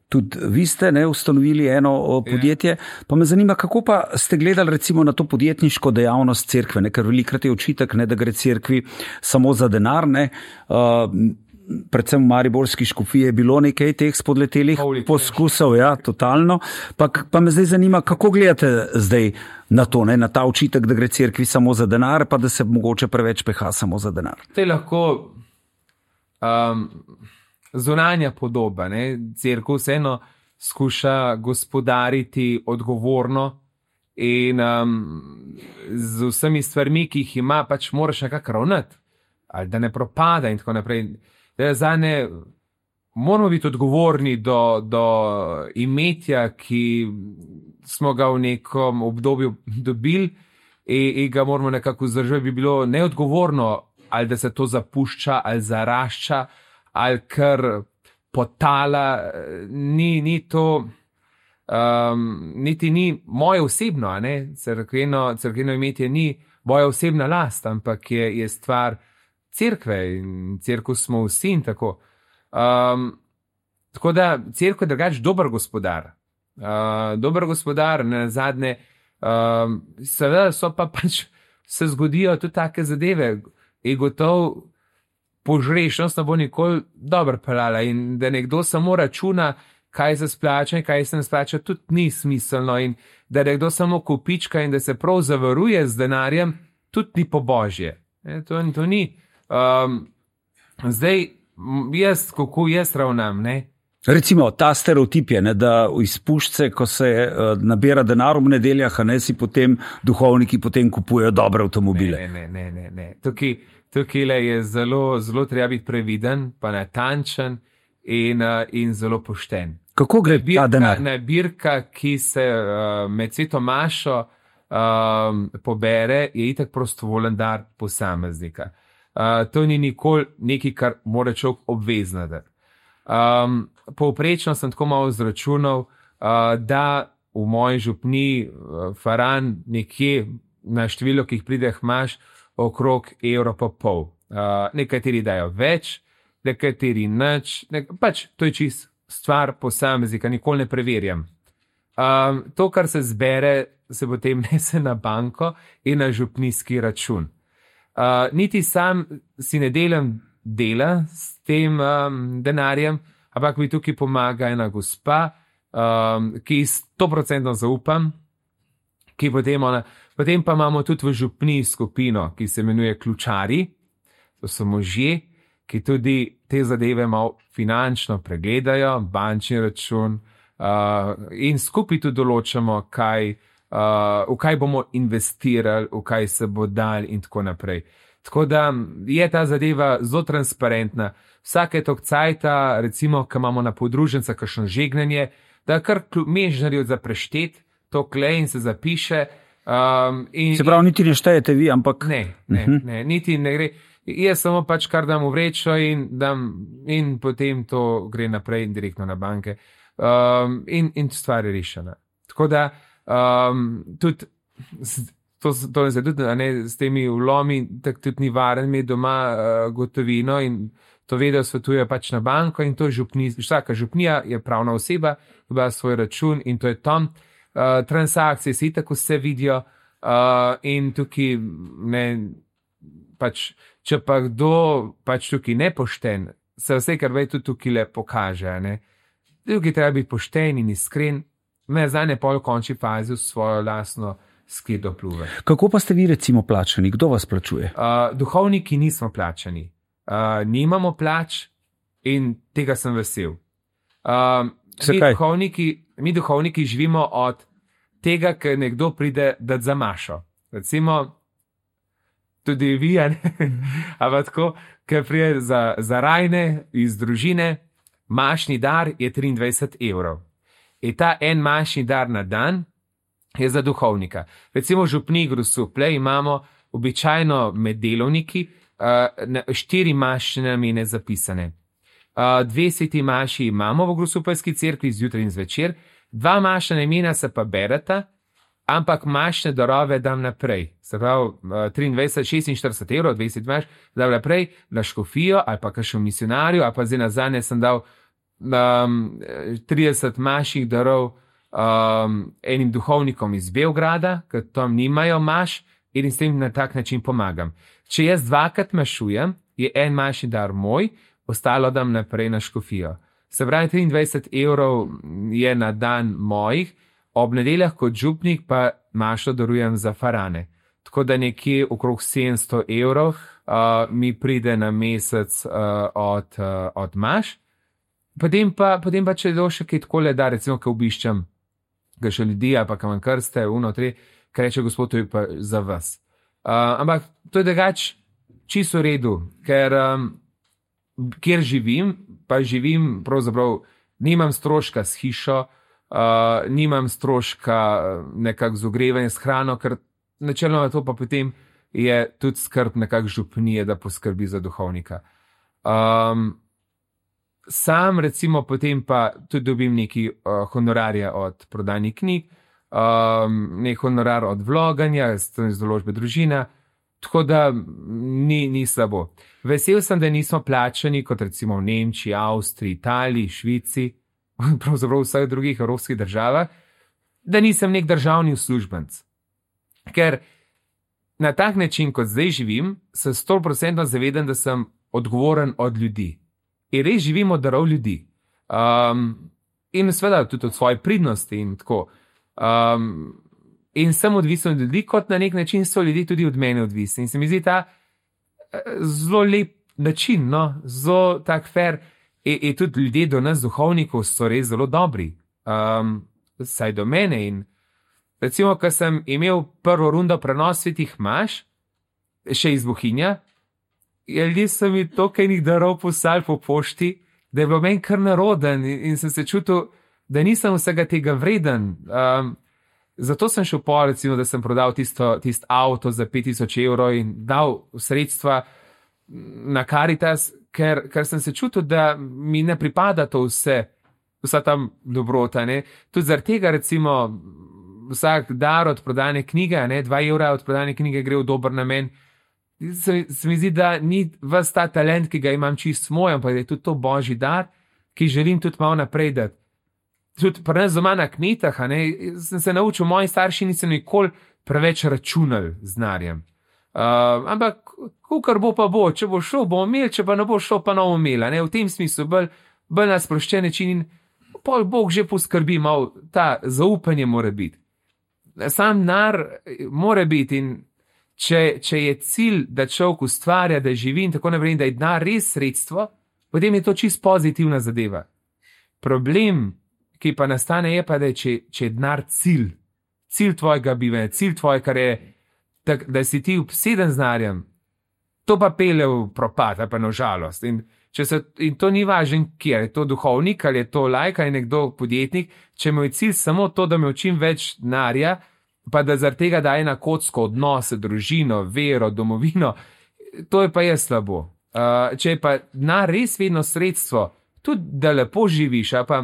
tudi vi ste ne, ustanovili eno podjetje, ja. Pa me zanima, kako pa ste gledali recimo na to podjetniško dejavnost cerkve, ne, ker velikrat je očitek, ne, da gre cerkvi samo za denar, ne, uh, predvsem v mariborski škofiji je bilo nekaj teh spodletelih poskusov, ja, totalno. Pa, pa me zdaj zanima, kako gledate zdaj na to, ne, na ta očitek, da gre cerkvi samo za denar, pa da se mogoče preveč peha samo za denar. To je lahko um, zunanja podoba, ne. Cerkev vseeno skuša gospodariti odgovorno in um, z vsemi stvarmi, ki jih ima, pač moraš nekako ravnati, ali da ne propada in tako naprej. Zane moramo biti odgovorni do, do imetja, ki smo ga v nekom obdobju dobili in, in ga moramo nekako vzdržati. Bi bilo neodgovorno, ali da se to zapušča, ali zarašča, ali kar potala. Ni, ni to, um, niti ni moje osebno, a ne? Cerkveno, cerkveno imetje ni moja osebna last, ampak je, je stvar cerkve in cerkev smo vsi in tako. Um, tako da cerkev je drugač dober gospodar. Uh, dober gospodar, na zadnje, um, seveda so pa pač se zgodijo tudi take zadeve in gotov požrešnost ne bo nikoli dobro pelala in da nekdo samo računa, kaj se splača in kaj se ne splača, tudi ni smiselno in da nekdo samo kupička in da se prav zavaruje z denarjem, tudi ni po božje. E, to, to ni. Um, zdaj, jaz, kako jaz ravnam, ne? Recimo, ta stereotip je, ne, da iz puščice, ko se uh, nabira denar v nedeljah, a ne si potem duhovniki potem kupujejo dobre avtomobile. Ne, ne, ne, ne, ne. Tukaj, tukaj je zelo, zelo treba biti previden, pa natančen in, uh, in zelo pošten. Kako gre ta denar? Nabirka, ki se uh, med sveto mašo um, pobere, je itak prostovoljen dar posameznika. Uh, to ni nikoli nekaj, kar mora človek obvezno dati. Um, povprečno sem tako malo izračunal, uh, da v moji župni uh, faran nekje na število, ki jih prideh imaš, okrog evro pa pol. Uh, nekateri dajo več, nekateri nič, nek pač to je čist stvar posameznika, nikoli ne preverjam. Um, to, kar se zbere, se potem nese na banko in na župnijski račun. Uh, niti sam si ne delam dela s tem um, denarjem, ampak mi tukaj pomaga ena gospa, um, ki sto procentno zaupam, ki potem, ona, potem pa imamo tudi v župniji skupino, ki se imenuje ključari, to so možje, ki tudi te zadeve malo finančno pregledajo, bančni račun uh, in skupaj tudi določamo, kaj Uh, v kaj bomo investirali, v kaj se bo dal in tako naprej. Tako da je ta zadeva zelo transparentna. Vsake tok cajta, recimo, ko imamo na podruženca kakšno žegnanje, da kar mežnarijo za preštet, to klej in se zapiše. Um, in, se pravi, niti ne štejete vi, ampak... Ne, ne, uh-huh. ne, niti ne gre. Jaz samo pač kar dam v vrečo in, dam, in potem to gre naprej direktno na banke. Um, in, in stvar je rešena. Tako da Um, tudi, to, to je tudi, a ne, s temi vlomi, tako tudi ni varen imeti doma uh, gotovino in to vedo svetuje pač na banko in to je župnija, vsaka župnija je pravna oseba, ima svoj račun in to je tam. Uh, transakcije se tako vse vidijo uh, in tukaj ne, pač, če pa kdo pač tukaj nepošten, se vse, kar ve, tudi tukaj le pokaže, ne. Tukaj treba biti pošten in iskren. Ne, zdaj ne pol v končni fazi v svojo lastno skledo pluve. Kako pa ste vi recimo plačani? Kdo vas plačuje? Uh, duhovniki nismo plačani. Uh, nimamo plač in tega sem vesel. Uh, mi, duhovniki, mi duhovniki živimo od tega, ker nekdo pride dati za mašo. Recimo, tudi vi, ampak tako, ker prije za, za rajne iz družine, mašni dar je triindvajset evrov. In ta en mašni dar na dan je za duhovnika. Recimo v župniji Grosuplje imamo običajno med delovniki uh, štiri mašne namene zapisane. Uh, dve sveti maši imamo v Grosupljski cerkvi zjutraj in zvečer, dva mašna namena se pa bereta, ampak mašne darove dam naprej. Se pravi, triindvajset, šestinštirideset evrov, dvajset maš, dam naprej na škofijo ali pa kakšno misionarju, ali pa zdaj nazadnje sem dal um, trideset maših darov um, enim duhovnikom iz Beograda, ker tam nimajo maš in s tem na tak način pomagam. Če jaz dvakrat mašujem, je en mašni dar moj, ostalo dam naprej na škofijo. Se pravi, triindvajset evrov je na dan mojih, ob nedeljah kot župnik pa mašo darujem za farane. Tako da nekje okrog sedemsto evrov uh, mi pride na mesec uh, od, uh, od maš. Potem pa, potem pa če do še kaj takole da, recimo, ko obiščem ga še ljudi, ali pa kam vam krste, uno, tri, kaj reče gospod, to je pa za vas. Uh, ampak to je drugač čisto v redu, ker um, kjer živim, pa živim pravzaprav, nimam stroška s hišo, Uh, nimam stroška nekako z ogrevanjem, s hrano, ker načeloma to pa potem je tudi skrb nekako župnije, da poskrbi za duhovnika. Um, sam recimo potem pa tudi dobim neki uh, honorarja od prodanih knjig, um, nek honorar od vloganja, z določbe družina, tako da ni, ni slabo. Vesel sem, da nismo plačani kot recimo v Nemčiji, Avstriji, Italiji, Švici, pravzaprav v vseh drugih evropskih državah, da nisem nek državni uslužbenc. Ker na tak način, kot zdaj živim, se sto procentno zavedam, da sem odgovoren od ljudi. In res živim od darov ljudi. Um, in seveda tudi od svoje pridnosti in tako. Um, in sem odvisen od ljudi, kot na nek način so ljudje tudi od mene odvisni. In se mi zdi ta zelo lep način, no? Zelo tak fair. In, in tudi ljudje do nas, duhovnikov, so res zelo dobri, um, saj do mene. In recimo, ko sem imel prvo rundo prenos svetih maš, še iz Bohinja, ljudje so mi toliko enih darov poslali po pošti, da je bilo meni kar naroden in, in sem se čutil, da nisem vsega tega vreden. Um, zato sem šel po, recimo, da sem prodal tisto, tisto avto za pet tisoč evrov in dal sredstva na Karitas, ker, ker sem se čutil, da mi ne pripada to vse, vsa tam dobrota. Ne? Tudi zaradi tega, recimo, vsak dar od prodane knjige, ne, dva evra od prodane knjige gre v dober namen. Se, se mi zdi, da ni ves ta talent, ki ga imam čist moj, ampak da je tudi to božji dar, ki želim tudi malo naprej dati. Tudi pri nas doma na kmetah, ne, sem se naučil, moji starši niso nikoli preveč računali z denarjem. Uh, ampak, kukar bo pa bo, če bo šel, bo imel, če pa ne bo šel, pa ne bo imel. V tem smislu bolj, bolj na sproščen način in pol Bog že poskrbi, malo ta zaupanje mora biti. Sam denar mora biti in če, če je cilj, da človek ustvarja, da živi in tako naprej, da je denar res sredstvo, potem je to čist pozitivna zadeva. Problem, ki pa nastane, je pa, da je, če, če je denar cilj, cilj tvojega bivanja, cilj tvoje, kar je tak, da si ti obseden z denarjem, to pa pele v propad, pa na žalost. In, če se, in to ni važno, kje je to duhovnik, ali je to laik, ali je nekdo podjetnik, če mu je cilj samo to, da me čim več denarja, pa da zaradi tega daje na kocko odnose, družino, vero, domovino, to je pa je slabo. Uh, če je pa denar res vedno sredstvo, tudi da lepo živiš, a pa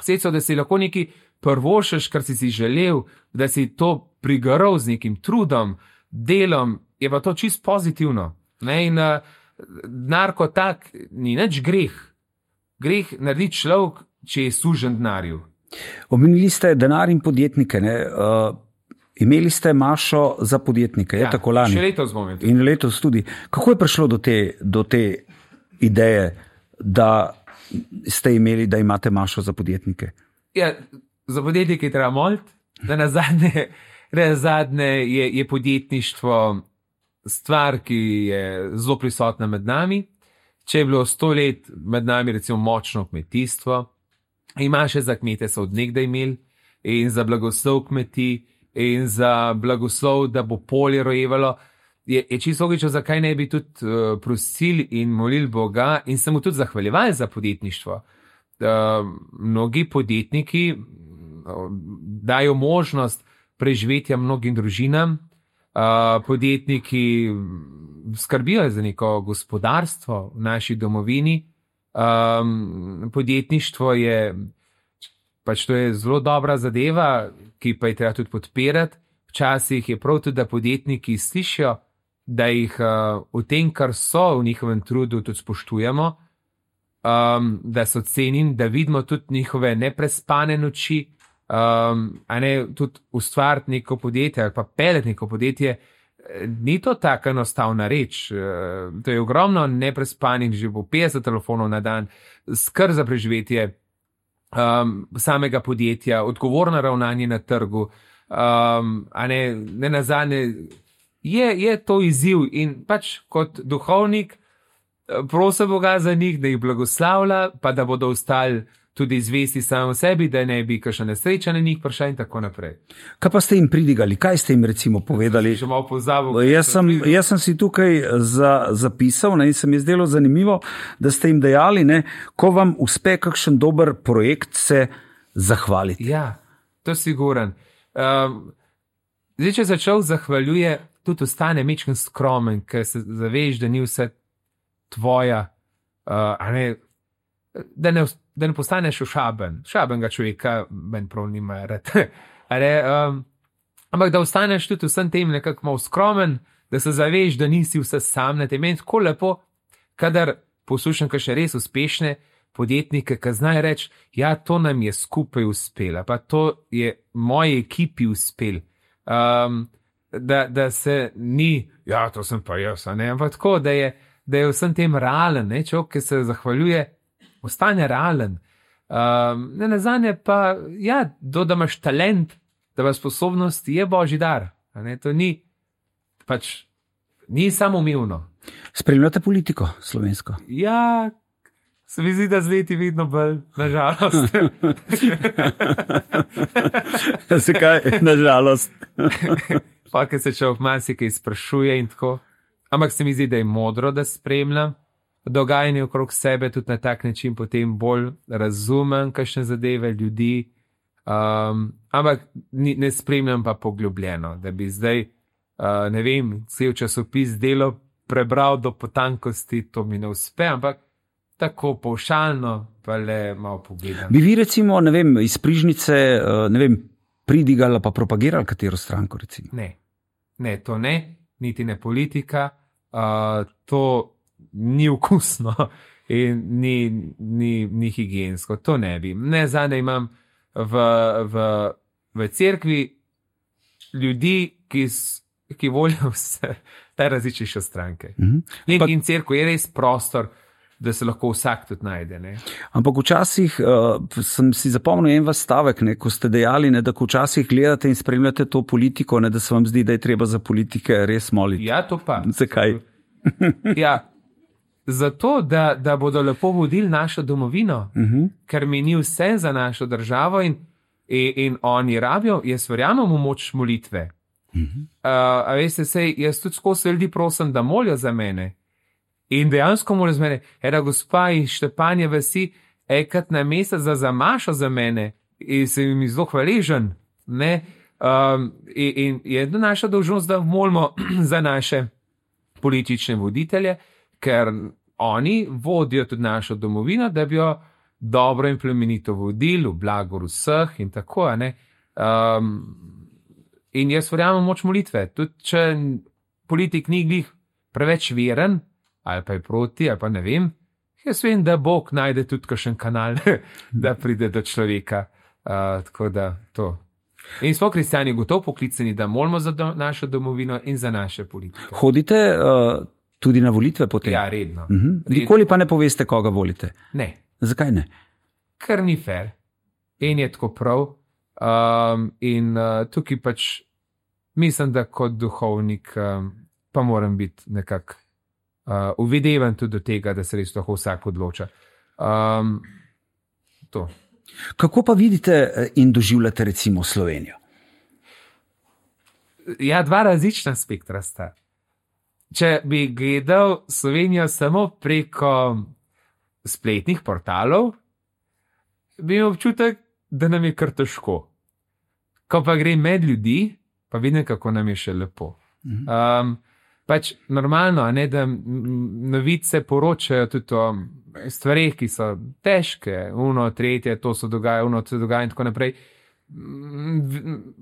sredstvo, da si lahko neki prvošeš, kar si si želel, da si to prigaral z nekim trudom, delom, je pa to čist pozitivno. Ne? In uh, denar kot tak ni nič greh. Greh naredi človek, če je sužen denarju. Omenili ste denar in podjetnike. Ne? Uh, imeli ste mašo za podjetnike, je ja, tako lani? Še letos bomo imeli. In letos tudi. Kako je prišlo do te, do te ideje, da ste imeli, da imate mašo za podjetnike? Ja, za podjetnike je treba moliti, da na zadnje, na zadnje je, je podjetništvo stvar, ki je zelo prisotna med nami. Če je bilo sto let med nami recimo močno kmetijstvo, ima še za kmete so od nekdaj imeli in za blagoslov kmetij in za blagoslov, da bo polje rojevalo. je, je čisto logično, zakaj ne bi tudi uh, prosili in molili Boga in se mu tudi zahvaljevali za podjetništvo. Uh, mnogi podjetniki uh, dajo možnost preživetja mnogim družinam, uh, podjetniki skrbijo za neko gospodarstvo v naši domovini. Um, podjetništvo je pač to je zelo dobra zadeva, ki pa je treba tudi podpirati. Včasih je prav tudi, da podjetniki slišijo, da jih uh, v tem, kar so v njihovem trudu, tudi spoštujemo, um, da so cenjeni, da vidimo tudi njihove neprespane noči, um, a ne tudi ustvariti neko podjetje ali pa peljati neko podjetje. Ni to tako enostavna reč. To je ogromno neprespanih, že po petdeset telefonov na dan, skrb za preživetje um, samega podjetja, odgovorno ravnanje na trgu, um, a ne, ne nazadnje, je, je to izziv in pač kot duhovnik prosim Boga za njih, da jih blagoslavlja, pa da bodo ostali tudi zvesti samo sebi, da ne bi kakšna nesreča na njih prišla in tako naprej. Kaj pa ste jim pridigali? Kaj ste jim recimo povedali? Še malo pozabil. Jaz sem, jaz sem si tukaj za, zapisal, ne, in se mi je zdelo zanimivo, da ste jim dejali, ne, ko vam uspe kakšen dober projekt, se zahvaliti. Ja, to si siguren. Um, zdaj, če se človek zahvaljuje, tudi ostane mečken skromen, ker se zaveš, da ni vse tvoja, uh, a ne, da ne da ne postaneš ošaben, šabenega človeka, meni prav nima rad. um, ampak da ostaneš tudi vsem tem nekako malo skromen, da se zaveš, da nisi vse sam na tem. Meni tako lepo, kadar poslušam kakšne res uspešne podjetnike, ki znajo reči, ja, to nam je skupaj uspelo, pa to je moji ekipi uspel. Um, da, da se ni, ja, to sem pa jaz, ne, ampak tako, da je, da je vsem tem realen, ne, človek, ki se zahvaljuje, ostane realen. Um, ne nazadnje pa, ja, do, da imaš talent, da imaš sposobnost, je božji dar. Ne, to ni, pač, ni samoumevno. Spremljate politiko slovensko? Ja, se mi zdi, da z leti vidno bolj, nažalost. Zakaj, nažalost? Pa, ker se človek marsikaj sprašuje in tako. Ampak se mi zdi, da je modro, da spremljam dogajanje okrog sebe, tudi na tak način potem bolj razumem kakšne zadeve ljudi, um, ampak ni, ne spremljam pa poglobljeno, da bi zdaj, uh, ne vem, cel časopis Delo prebral do potankosti, to mi ne uspe, ampak tako povšalno pa le malo pogledam. Bi vi recimo, ne vem, iz Prižnice, ne vem, pridigali pa propagirali katero stranko recimo? Ne, ne, to ne, niti ne politika, uh, to ni vkusno in ni, ni, ni higiensko, to ne bi. Ne, zadnje imam v, v, v cerkvi ljudi, ki, ki volijo vse te različnejše stranke. Mm-hmm. In, in cerkev je res prostor, da se lahko vsak tudi najde. Ne? Ampak včasih uh, sem si zapomnil en vas stavek, ne, ko ste dejali, ne, da ko včasih gledate in spremljate to politiko, ne, da se vam zdi, da je treba za politike res moliti. Ja, to pa. Zakaj? Ja, zato, da, da bodo lepo vodili našo domovino, uh-huh. ker mi ni vse za našo državo in, in, in oni rabijo, jaz verjamem v moč molitve. Uh-huh. Uh, a veste, sej, jaz tudi skozi ljudi prosim, da molijo za mene. In dejansko molijo za mene. Eda gospa iz Štepanje vasi, enkrat na mesec za zamašo za mene in se mi zelo hvaležen. Ne? Um, in, in je naša dolžnost, da molimo za naše politične voditelje, ker oni vodijo tudi našo domovino, da bi jo dobro in plemenito vodili v blagor vseh in tako. Um, in jaz verjamem moč molitve. Tudi če politik ni glih preveč veren, ali pa je proti, ali pa ne vem, jaz vem, da Bog najde tudi kakšen kanal, da pride do človeka. Uh, tako da to. In smo kristjani gotovo poklicani, da molimo za do, našo domovino in za naše politike. Hodite uh... tudi na volitve potem? Ja, redno. Uh-huh. Nikoli pa ne poveste, koga volite? Ne. Zakaj ne? Ker ni fair. In je tako prav. Um, in uh, tukaj pač mislim, da kot duhovnik um, pa moram biti nekako uh, uvidevan tudi do tega, da se res lahko vsak odloča. Um, to. Kako pa vidite in doživljate recimo Slovenijo? Ja, dva različna spektra sta. če bi gledal Slovenijo samo preko spletnih portalov, bi imel občutek, da nam je kar težko. Ko pa gre med ljudi, pa vidim, kako nam je še lepo. Um, pač normalno, ne, da novice poročajo tudi o stvarih, ki so težke, uno, tretje, to se dogaja, uno, to se dogaja in tako naprej.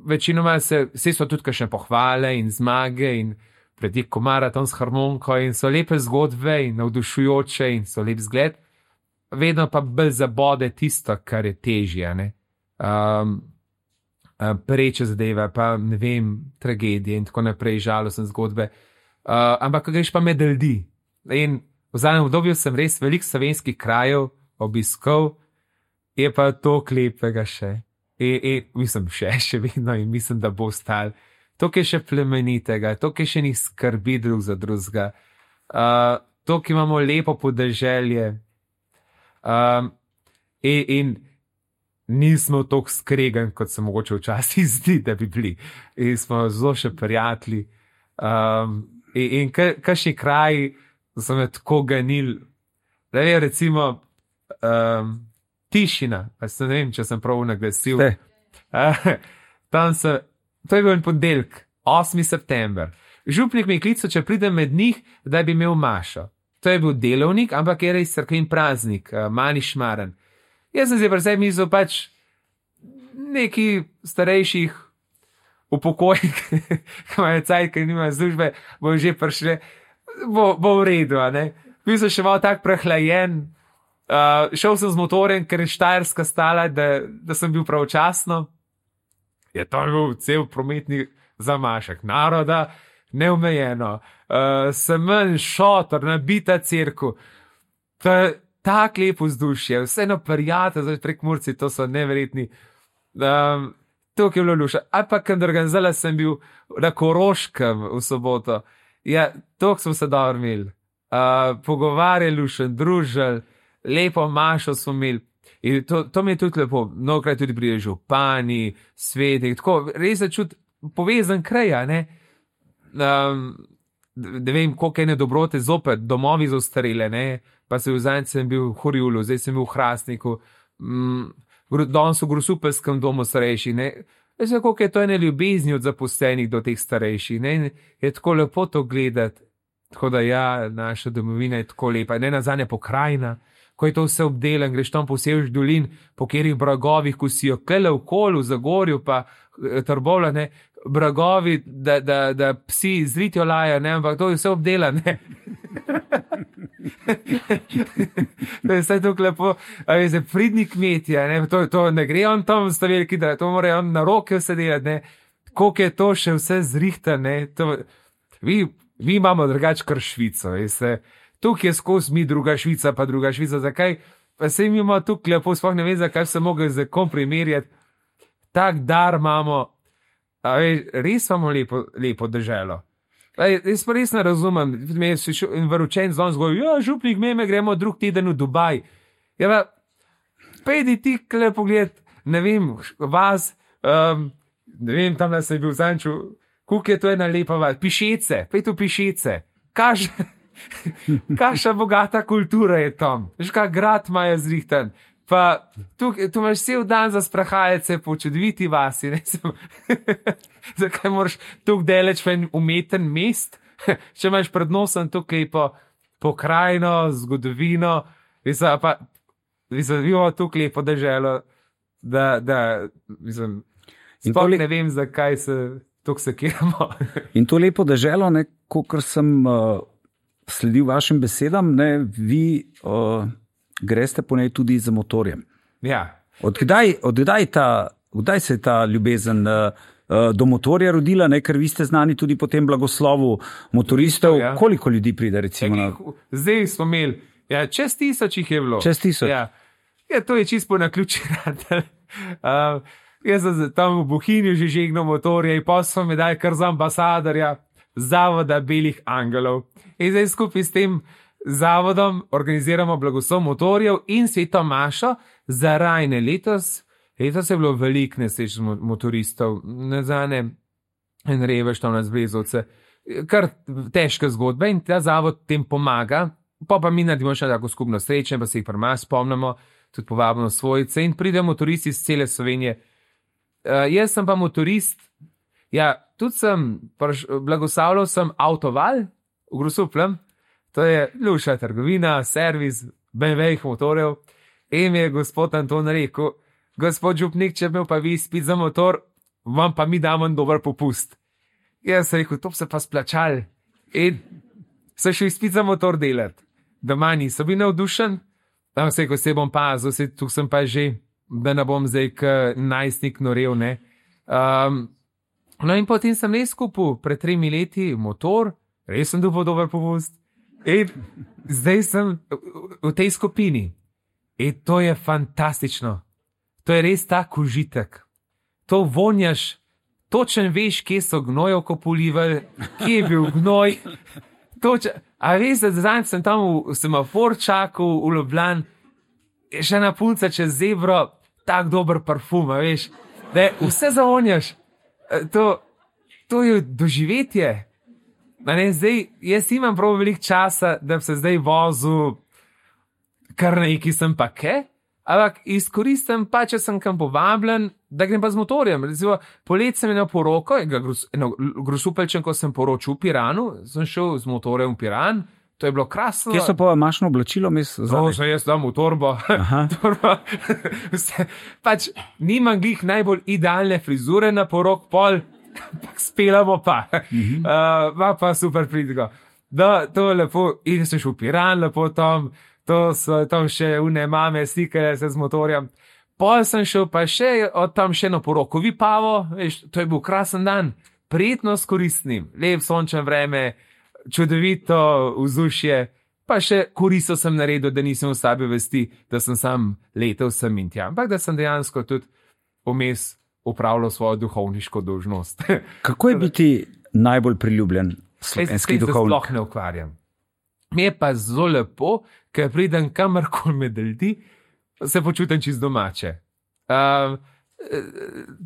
Večinoma se, vse so tudi kakšne pohvale in zmage in pretek maraton s harmoniko in so lepe zgodbe in navdušujoče in so lep zgled. Vedno pa bolj zabode tisto, kar je težje, ne. Um, preče zadeve, pa ne vem, tragedije in tako naprej, žalostne zgodbe. Uh, ampak, ko greš pa med ljudi. In v zadnjem obdobju sem res veliko slovenskih krajev obiskal, je pa to lepega še. In, in mislim, še, še vedno in mislim, da bo ostal. To, ki je še plemenitega, to, ki še ni skrbi drug za drugega, uh, to, ki imamo lepo podeželje. Um, in, in nismo toliko skregan, kot se mogoče včasih zdi, da bi bili. In smo zelo še prijatelji. Um, in in kakšni kraji so me tako ganili. Da je recimo um, Tišina, pa se ne vem, če sem prav naglasil. Uh, tam se, to je bil en ponedeljek, osmi september. Župnik mi je klical, če pridem med njih, da bi imel mašo. To je bil delovnik, ampak je res cerkveni praznik, uh, mali šmaren. Jaz sem zdaj pri sebi mislil pač neki starejših upokojnik, ki imajo cajt, ki nimajo službe, bo že prišli, bo, bo v redu, a ne. Bil sem še malo tak prehlajen, uh, šel sem z motorjem, ker je Štajerska stala, da, da sem bil pravočasno. Je to bil cel prometni zamašek naroda, neomejeno, uh, semen, šotor, nabita cerkev. To je tako lepo vzdušje, vseeno prijatelj, zdaj prek Murci, to so neverjetni. Um, to, ki je bilo luša. A pa, kad organizala sem bil na Koroškem v soboto, ja, to smo se dobro imeli. Uh, pogovarjali, lušen, družili, lepo mašo smo imeli. In to, to mi je tudi lepo, mnogokrat tudi pride župani, sveti, tako, res se čuti povezan kraj, ne? Um, da vem, koliko ene dobrote zopet, domovi za ostarele, ne? Pa se v zadnjič sem bil v Horjulu, zdaj sem bil v Hrastniku, mm, danes v Grosupeljskem domu starejših, ne? Veš, koliko je to ene ljubezni od zaposlenih do teh starejših, ne? Je tako lepo to gledati, tako da ja, naša domovina je tako lepa, ne nazadnje pokrajina, ko je to vse obdelan, greš tam po Sevž dolin, po katerih bragovih, ko si jo kele v Kolu, v Zagorju, pa Trbovlja, ne, bragovi, da, da, da psi zritijo lajo, ne, ampak to je vse obdelan, ne. To je vse tako lepo, a je za pridni kmetje, ne, to, to ne gre on tam sta veliki, da to mora on na roke vse delati, ne, koliko je to še vse zrihta, ne, to, vi, vi imamo drugač kar Švico, veste. Tukaj je skozi mi druga Švica, pa druga Švica. Zakaj? Pa se imamo tukaj lepo, sploh ne vem, zakaj se mogli z kom primerjati. Tak dar imamo, a veš, res imamo lepo, lepo državo. Jaz pa res ne razumem, me je šel in varučen zlom zgoj, ja, župnik, me, me gremo drug teden v Dubaj. Ja, pa, pejdi ti kle pogled, ne vem, vas, um, ne vem, tam da se je bil zanču, koliko je to ena lepa vas, Pišece, pej tu Pišece, kaž... Kakšna bogata kultura je tam, veš, kak grad ima je zrihten, pa tu, tu imaš cel dan za sprahajce po čudoviti vasi, ne sem, zakaj moraš tukaj deleč v en umeten mest, če imaš pred nosom tukaj po pokrajino, zgodovino, mislim, pa, mislim, imamo tukaj lepo deželo, da, da, mislim, sploh le... ne vem, zakaj se tukaj sekiramo. In to lepo deželo, ne, kakor sem... Uh... sledil vašim besedam, ne, vi uh, greste po njej tudi za motorjem. Ja. Odkdaj, odkdaj, ta, odkdaj se je ta ljubezen uh, do motorja rodila, ne, ker vi ste znani tudi po tem blagoslovu motoristov. Ja. Koliko ljudi pride, recimo? Na... Zdaj smo imeli, ja, čez tisoč jih je bilo. Čez tisoč. Ja. Ja, to je čisto na ključi rad. uh, jaz sem tam v Bohinju že žegnal motorje in pa so me dali kar za ambasadorja Zavoda Belih Angelov. In zdaj skupaj s tem zavodom organiziramo blagoslov motorjev in sveto mašo za rajne. Letos, letos je bilo veliko nesreč motoristov, ne zane, en revež tam na Zbrezovce. kar težke zgodbe in ta zavod tem pomaga, pa pa mi naredimo še tako skupno srečanje, pa se jih pri nas spomnimo, tudi povabimo svojce in pridemo motoristi iz cele Slovenije. Uh, jaz sem pa motorist, ja, tudi sem, blagoslavljal sem Avtoval v Grosupljem, to je luša trgovina, servis bé em ve-jih motorjev, in mi je gospod Anton rekel, gospod župnik, če bi pa vi spit za motor, vam pa mi damo en dober popust. Jaz sem rekel, to se pa splačal. In sem šel spit za motor delati. Doma nisem bil navdušen, tam se, ko se bom pazil, se, tu sem pa že, da ne bom zdaj k najstnik norel, ne. Um, no in potem sem res kupil pred tremi leti motor, res sem dobil dober popust in zdaj sem v, v tej skupini. In to je fantastično. To je res tak užitek. To vonjaš, točen veš, kje so gnojevko polivali, kje je bil gnoj. Točen, a veš, da zdaj sem tam v semafor čakal v Ljubljan, še na punca čez zebro, tak dober parfum, a veš, da vse zavonjaš. To, to je doživetje. Ne, zdaj, jaz imam prav veliko časa, da bi se zdaj vozil kar neki sem pa ke, ampak izkoristim pa, če sem kam povabljen, da grem pa z motorjem. Recimo, polet sem imel poroko, eno Grosupeljčen, ko sem poročil v Piranu, sem šel z motorjem v Piran, to je bilo krasno. Kje so pa mašno oblačilo? To sem jaz dam v torbo. torbo. Pač nimam glih najbolj idealne frizure na porok pol, spelamo pa. Mm-hmm. Uh, pa super pridgo. Da, to je lepo, in sem šel v Piran, lepo tam, to so tam še une mame slikale se z motorjem. Pol sem šel pa še od tam še na poroko Vipavo, veš, to je bil krasen dan, prijetno s koristnim, lep sončen vreme, čudovito vzdušje, pa še koristo sem naredil, da nisem v sabi vesti, da sem sam letel sem in tja, ampak da sem dejansko tudi vmes upravljal svojo duhovniško dolžnost. Kako je biti najbolj priljubljen slovenski duhovnik? Sploh ne ukvarjam. Mi je pa zelo lepo, ker pridem kamorkoli med ljudi, se počutim čist domače. Uh,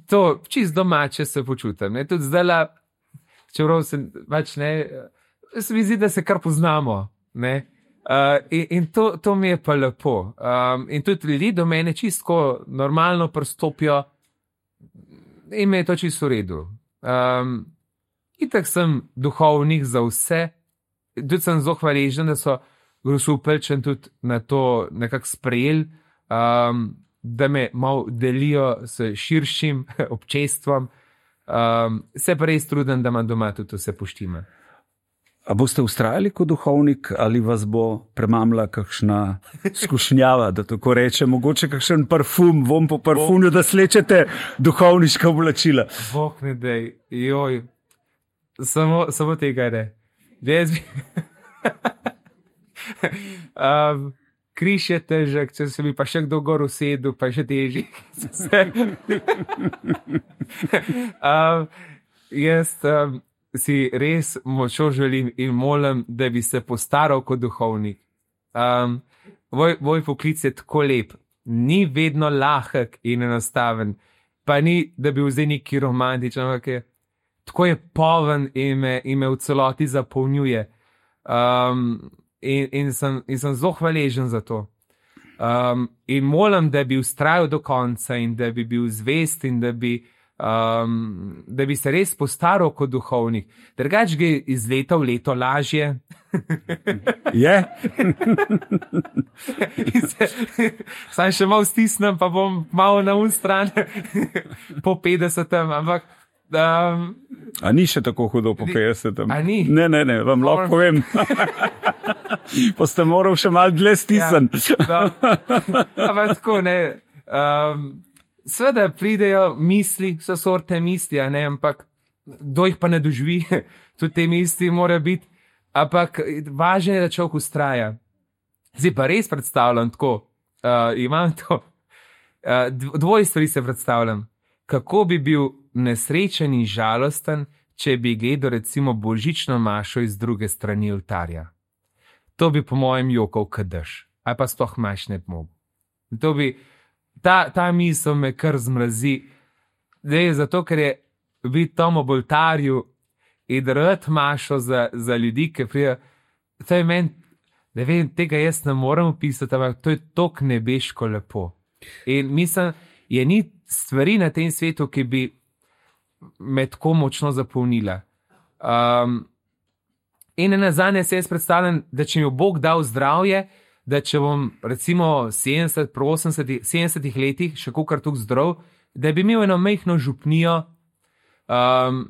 to, čist domače se počutim. Ne? Tudi zdajla, čeprav se pač ne, se mi zdi, da se kar poznamo. Ne? Uh, in in to, to mi je pa lepo. Um, in tudi ljudi do mene čisto normalno pristopijo in me je to čisto v redu. Um, itak sem duhovnik za vse, tudi sem zelo hvaležen, da so Grosupeljčan tudi na to nekako sprejeli, um, da me malo delijo s širšim občestvom. Um, se pa res trudim, da imam doma tudi vse poštime. A boste vztrajali kot duhovnik ali vas bo premamla kakšna skušnjava, da tako reče, mogoče kakšen parfum, vom po parfumju, da slečete duhovniška oblačila? Bog ne dej, joj, samo, samo tega ne. Jaz bi... um, križ je težek, če se bi pa še kdo gor usedel, pa še teži. um, jaz um, si res močno želim in molim, da bi se postaral kot duhovnik. Um, moj, moj poklic je tako lep, ni vedno lahek in enostaven, pa ni, da bi vzeli neki romantičen, ampak je, tako je poln in me, in me v celoti zapolnjuje. Um, In, in, sem, in sem zelo hvaležen za to. Um, in molim, da bi vztrajal do konca in da bi bil zvest in da bi, um, da bi se res postaral kot duhovnik. Drugač gre iz leta v leto lažje. Je? Sam še malo stisnem, pa bom malo na un stran po petdesetem, ampak Um, a ni še tako hudo po petdesetem? A ni? Ne, ne, ne, vam lahko povem. Pa ste moral še malo dlje stisniti. Ja, ampak tako, ne. Um, Sveda pridejo misli, vse sorte misli, a ne, ampak kdo jih pa ne doživi, tudi te misli mora biti, ampak važno je, da človek vztraja. Zdaj pa res predstavljam tako, uh, imam to, uh, dvoje stvari se predstavljam. Kako bi bil nesrečen in žalosten, če bi gledal recimo božično mašo iz druge strani oltarja. To bi po mojem jokal kadež, ali pa sploh maš ne bi mogel. To bi, ta, ta misel me kar zmrazi, da je zato, ker je biti tam ob oltarju in rad mašo za, za ljudi, ki prijo. To je meni, ne vem, tega jaz ne morem opisati, ampak to je tok nebeško lepo. In mislim, je ni stvari na tem svetu, ki bi me tako močno zapolnila. Um, in nazadnje se jaz predstavljam, da če mi bo Bog dal zdravje, da če bom recimo sedemdeset, osemdeset, sedemdesetih letih še kakor tukaj zdrav, da bi imel eno majhno župnijo, um,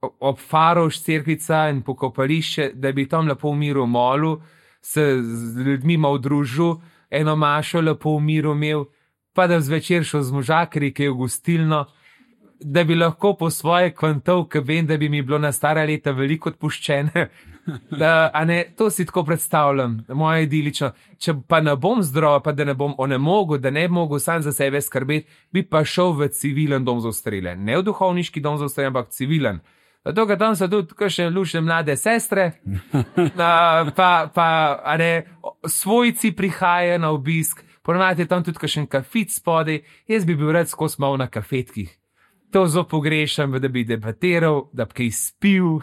ob Faroš cerkvica in pokopališče, da bi tam lepo v miru molil, se z ljudmi malo družil, eno mašo lepo v miru imel, pa da zvečer šel z možakri, ki je v gostilno, da bi lahko po svoje kvantov, ki vem, da bi mi bilo na stara leta veliko odpuščene. Da, a ne, to si tako predstavljam, moje idilično. Če pa ne bom zdrav, pa da ne bom onemogel, da ne bi mogel sam za sebe skrbeti, bi pa šel v civilen dom za ostarele. Ne v duhovniški dom za ostarele, ampak civilen. Zato, ker tam so tudi kakšne lušne mlade sestre, na, pa, pa a ne, svojci prihajajo na obisk, ponavadi je tam tudi kakšen kafet spodaj, jaz bi bil rad skozi malo na kafetkih. To zelo pogrešam, da bi debatiral, da bi kaj spil,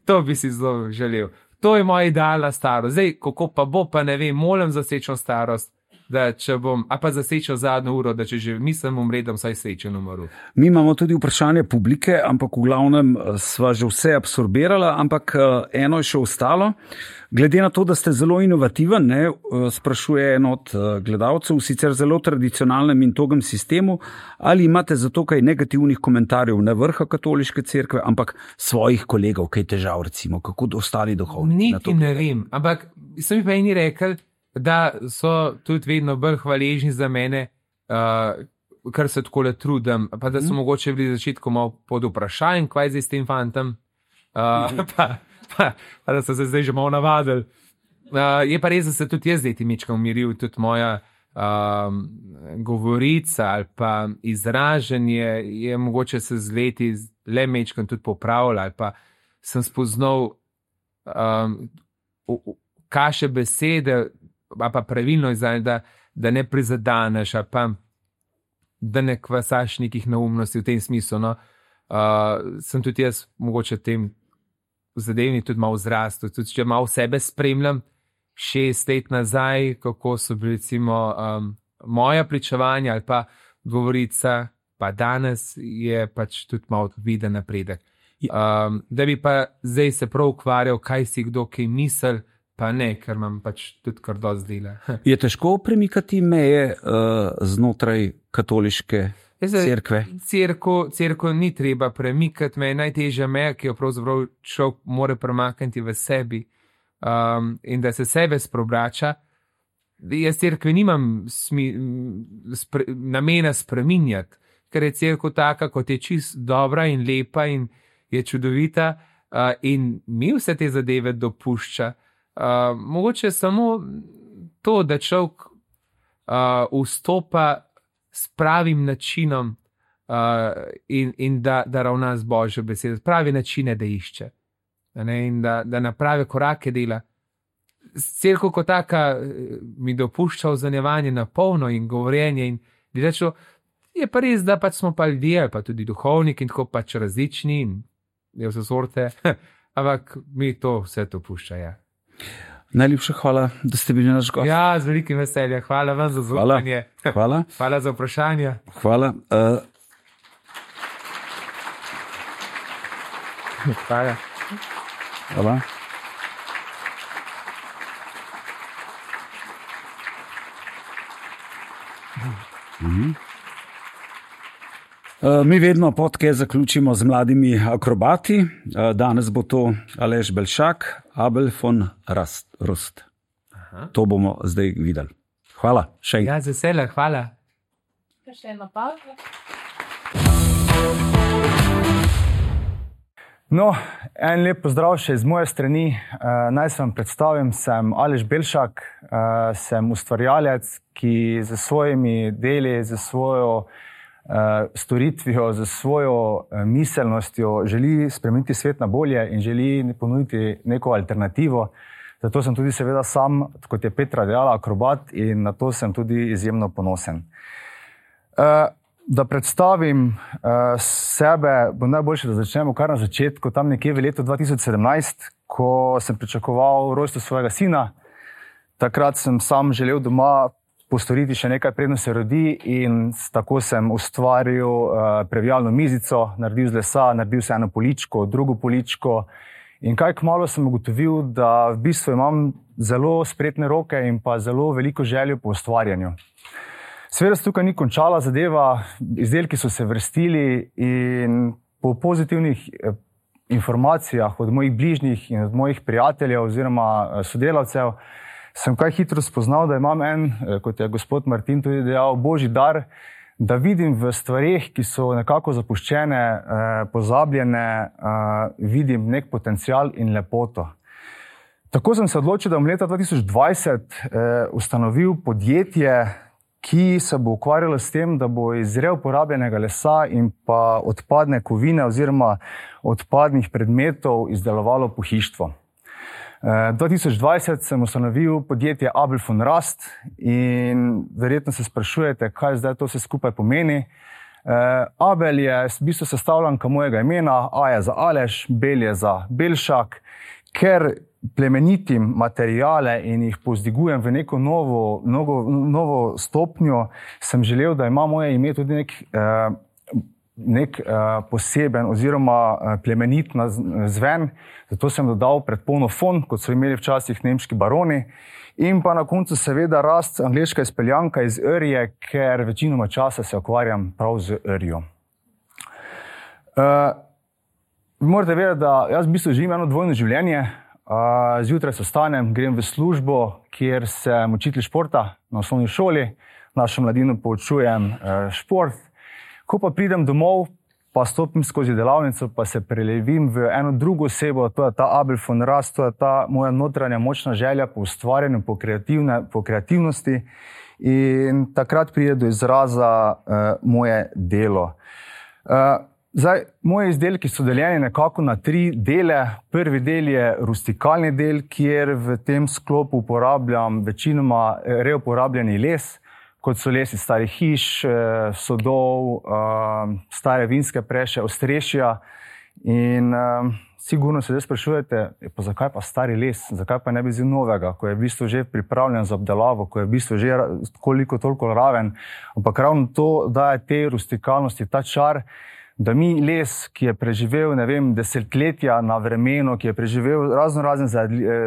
to bi si zelo želel. To je moja idealna starost. Zdaj, kako pa bo, pa ne vem, molim za srečno starost, da če bom, a pa za srečno zadnjo uro, da če že mislim umredem, saj srečen umrl. Mi imamo tudi vprašanje publike, ampak v glavnem sva že vse absorbirala, ampak eno je še ostalo. Glede na to, da ste zelo inovativen, ne, sprašuje en od gledalcev, sicer zelo tradicionalnem in togem sistemu, ali imate zato kaj negativnih komentarjev ne vrha katoliške cerkve, ampak svojih kolegov, kaj težav recimo, kako ostali duhovniki? Niti ne vem, ampak sem mi pa eni rekel, da so tudi vedno bolj hvaležni za mene, uh, kar se takole trudim, pa da so mm. mogoče bili začetku malo pod vprašanjem, kaj zdaj s tem fantom, uh, mm. pa, pa, pa da so se zdaj že malo navadili. Uh, je pa res, da se tudi jaz zdaj ti mečkam umiril, tudi moja um, govorica ali pa izražanje je mogoče se z leti le mečkam tudi popravila, ali pa sem spoznal um, kaše besede, a pa pravilno izdaje, da, da ne prizadaneš, a pa da ne kvasaš nekih neumnosti v tem smislu. No. Uh, sem tudi jaz mogoče tem zadevni tudi malo zrastel, tudi če malo sebe spremljam, šest let nazaj, kako so bili recimo um, moja pričevanja ali pa govorica, pa danes je pač tudi malo viden napredek. Um, da bi pa zdaj se prav ukvarjal, kaj si kdo kaj misel, pa ne, ker imam pač tudi kar dosti dela. Je težko premikati meje uh, znotraj katoliške cerkve? Cerko, cerko ni treba premikati, meje najtežja meja, ki jo pravzaprav človek mora premakniti v sebi um, in da se sebe spreobrača. Jaz cerkve nimam smi, spre, namena spreminjati, ker je cerkev taka, kot je čist dobra in lepa in je čudovita uh, in mi vse te zadeve dopušča. Uh, mogoče samo to, da človek uh, vstopa s pravim načinom uh, in, in da, da ravna z Božjo besedo, pravi načine, da išče, ne, in da, da na prave korake dela. Cerkev kot taka mi dopušča ozanjevanje na polno in govorjenje in rečo, je pa res, da pač smo pa ljudje, pa tudi duhovniki in tako pač različni in je vse sorte, ampak mi to vse to pušča, ja. Najlepša hvala, da ste bili naš gost. Ja, z velikim veseljem. Hvala vam za zaupanje. Hvala. Hvala. Hvala za vprašanje. Hvala. Uh... Hvala. Hvala. Mhm. Mi vedno podcast zaključimo z mladimi akrobati. Danes bo to Aleš Belšak, Abel von Rust. Aha. To bomo zdaj videli. Hvala. Še enkrat. Ja, z veseljem, hvala. Še eno pauzo. No, en lep pozdrav še iz moje strani. Naj se vam predstavim, sem Aleš Belšak, sem ustvarjalec, ki z svojimi deli, z svojo storitvijo, z svojo miselnostjo želi spremeniti svet na bolje in želi ponuditi neko alternativo. Zato sem tudi seveda sam, kot je Petra dejala, akrobat in na to sem tudi izjemno ponosen. Da predstavim uh, sebe, bo najboljše, da začnemo kar na začetku, tam nekje v letu dva tisoč sedemnajst, ko sem pričakoval rojstvo svojega sina. Takrat sem sam želel doma postoriti še nekaj, predno se rodi, in tako sem ustvaril uh, previjalno mizico, naredil z lesa, naredil se eno poličko, drugo poličko, in kaj kmalu sem ugotovil, da v bistvu imam zelo spretne roke in pa zelo veliko željo po ustvarjanju. Seveda se tukaj ni končala zadeva, izdelki so se vrstili in po pozitivnih informacijah od mojih bližnjih in od mojih prijateljev oziroma sodelavcev sem kaj hitro spoznal, da imam en, kot je gospod Martin tudi dejal, božji dar, da vidim v stvareh, ki so nekako zapuščene, pozabljene, vidim nek potencial in lepoto. Tako sem se odločil, da bom leta dva tisoč dvajset ustanovil podjetje, ki se bo ukvarjalo s tem, da bo iz reuporabljenega lesa in pa odpadne kovine oziroma odpadnih predmetov izdelovalo pohištvo. dva tisoč dvajset sem ustanovil podjetje Abel von Rast in verjetno se sprašujete, kaj zdaj to vse skupaj pomeni. Abel je v bistvu sestavljanka mojega imena, A je za Aleš, Bel je za Belšak, ker plemenitim materijale in jih povzdigujem v neko novo, novo, novo stopnjo, sem želel, da ima moje ime tudi nek, nek poseben oziroma plemenit zven. Zato sem dodal predpolno fon, kot so imeli včasih nemški baroni. In pa na koncu seveda Rast, angleška izpeljanka iz rje, ker večinoma časa se ukvarjam prav z rjo. Uh, morate vedeti, da jaz v bistvu živim eno dvojno življenje. Uh, zjutraj se vstanem, grem v službo, kjer sem učitelj športa na osnovni šoli, našo mladino poučujem uh, šport. Ko pa pridem domov, pa stopim skozi delavnico, pa se prelevim v eno drugo osebo, to je ta Abel von Rast, to je ta moja notranja močna želja po ustvarjanju, po, po kreativnosti, in takrat pride do izraza uh, moje delo. Uh, Zdaj, moji izdelki so deljeni nekako na tri dele. Prvi del je rustikalni del, kjer v tem sklopu uporabljam večinoma reuporabljeni les, kot so les iz starih hiš, sodov, stare vinske preše, ostrešja. In um, sigurno se zdaj sprašujete, pa zakaj pa stari les, zakaj pa ne bi vzel novega, ko je v bistvu že pripravljen za obdelavo, ko je v bistvu že koliko toliko raven. Ampak ravno to daje tej rustikalnosti ta čar, da mi les, ki je preživel, ne vem, desetletja na vremenu, ki je preživel razno razne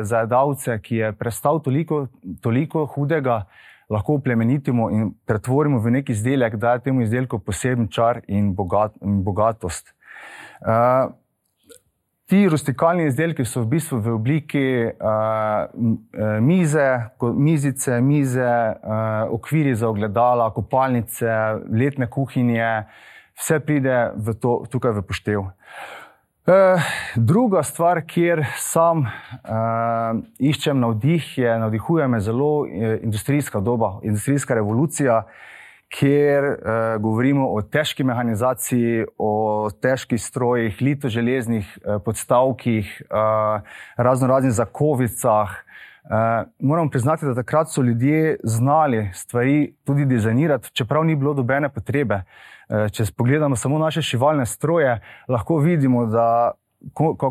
zajedavce, ki je prestal toliko, toliko hudega, lahko plemenitimo in pretvorimo v nek izdelek, daje temu izdelku poseben čar in, bogat, in bogatost. Uh, ti rustikalni izdelki so v bistvu v obliki uh, mize, mizice, mize, uh, okviri za ogledala, kopalnice, letne kuhinje. Vse pride v to, tukaj v poštev. E, druga stvar, kjer sam e, iščem navdih, je, navdihuje me zelo industrijska doba, industrijska revolucija, kjer e, govorimo o težki mehanizaciji, o težkih strojih, litoželeznih e, podstavkih, e, razno raznih zakovicah. E, moram priznati, da takrat so ljudje znali stvari tudi dizajnirati, čeprav ni bilo dobene potrebe. Če pogledamo samo naše šivalne stroje, lahko vidimo, da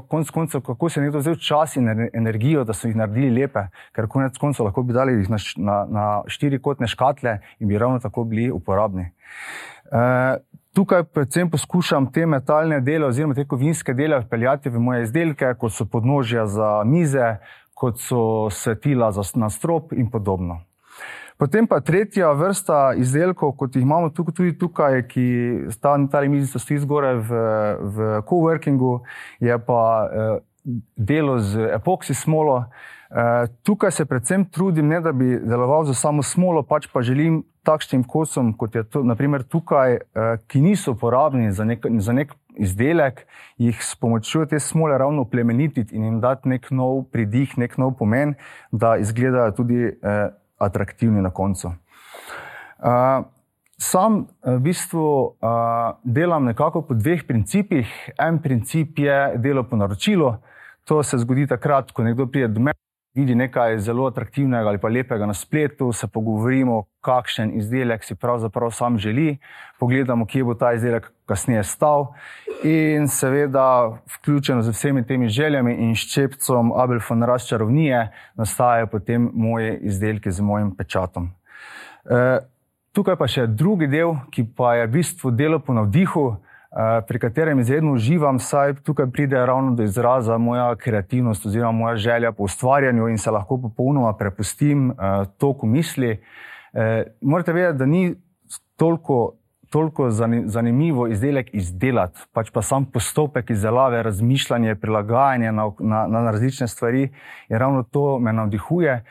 konec koncev, kako se je nekdo vzel čas in energijo, da so jih naredili lepe, ker konec koncev lahko bi dali jih na, na, na štirikotne škatle in bi ravno tako bili uporabni. E, tukaj predvsem poskušam te metalne dele oziroma te kovinske dele vpeljati v moje izdelke, kot so podnožja za mize, kot so svetila za, na strop in podobno. Potem pa tretja vrsta izdelkov, kot jih imamo tukaj, tudi tukaj, ki ta mizica stoji zgoraj v, v coworkingu, je pa eh, delo z epoksi smolo. Eh, tukaj se predvsem trudim, ne da bi deloval za samo smolo, pač pa želim takšnim kosom, kot je to, naprimer tukaj, eh, ki niso uporabni za nek, za nek izdelek, jih s pomočjo te smole ravno plemenititi in jim dati nek nov pridih, nek nov pomen, da izgledajo tudi eh, atraktivni na koncu. Uh, sam v bistvu uh, delam nekako po dveh principih. En princip je delo po naročilu. To se zgodi takrat, ko nekdo pride do mene, vidi nekaj zelo atraktivnega ali pa lepega na spletu, se pogovorimo, kakšen izdelek si pravzaprav sam želi, pogledamo, kje bo ta izdelek kasneje stal in seveda vključeno z vsemi temi željami in ščepcom Abel von Rast čarovnije nastajajo potem moje izdelke z mojim pečatom. E, tukaj pa še drugi del, ki pa je v bistvu delo po navdihu, pri katerem izredno uživam, saj tukaj pride ravno do izraza moja kreativnost oziroma moja želja po ustvarjanju in se lahko popolnoma prepustim toku misli. Morate vedeti, da ni toliko, toliko zanimivo izdelek izdelati, pač pa sam postopek izdelave, razmišljanje, prilagajanje na, na, na različne stvari in ravno to me navdihuje.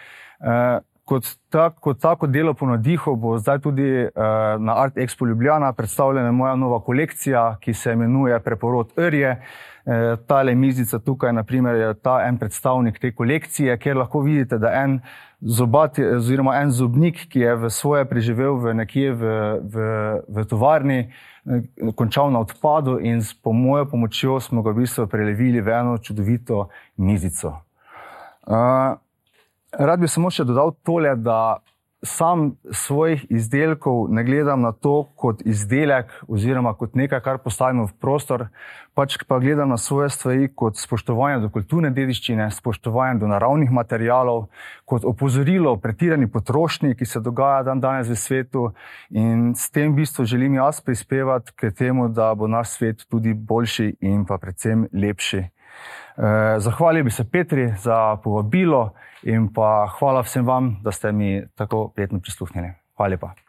Kot, tak, kot tako delo po navdihu bo zdaj tudi eh, na Art Expo Ljubljana predstavljena moja nova kolekcija, ki se imenuje Preporod Rje. Eh, tale mizica tukaj, na primer, je ta en predstavnik te kolekcije, kjer lahko vidite, da en zobat, oziroma en zobnik, ki je v svoje preživel v nekje v, v, v tovarni, eh, končal na odpadu in s po mojo pomočjo smo ga v bistvu prelevili v eno čudovito mizico. Eh, Rad bi samo še dodal tole, da sam svojih izdelkov ne gledam na to kot izdelek oziroma kot nekaj, kar postavimo v prostor, pač pa gledam na svoje stvari kot spoštovanje do kulturne dediščine, spoštovanje do naravnih materialov, kot opozorilo o pretirani potrošnji, ki se dogaja dan danes v svetu in s tem v bistvu želim jaz prispevati k temu, da bo naš svet tudi boljši in pa predvsem lepši. Zahvalil bi se Petri za povabilo in pa hvala vsem vam, da ste mi tako prijetno prisluhnili. Hvala lepa.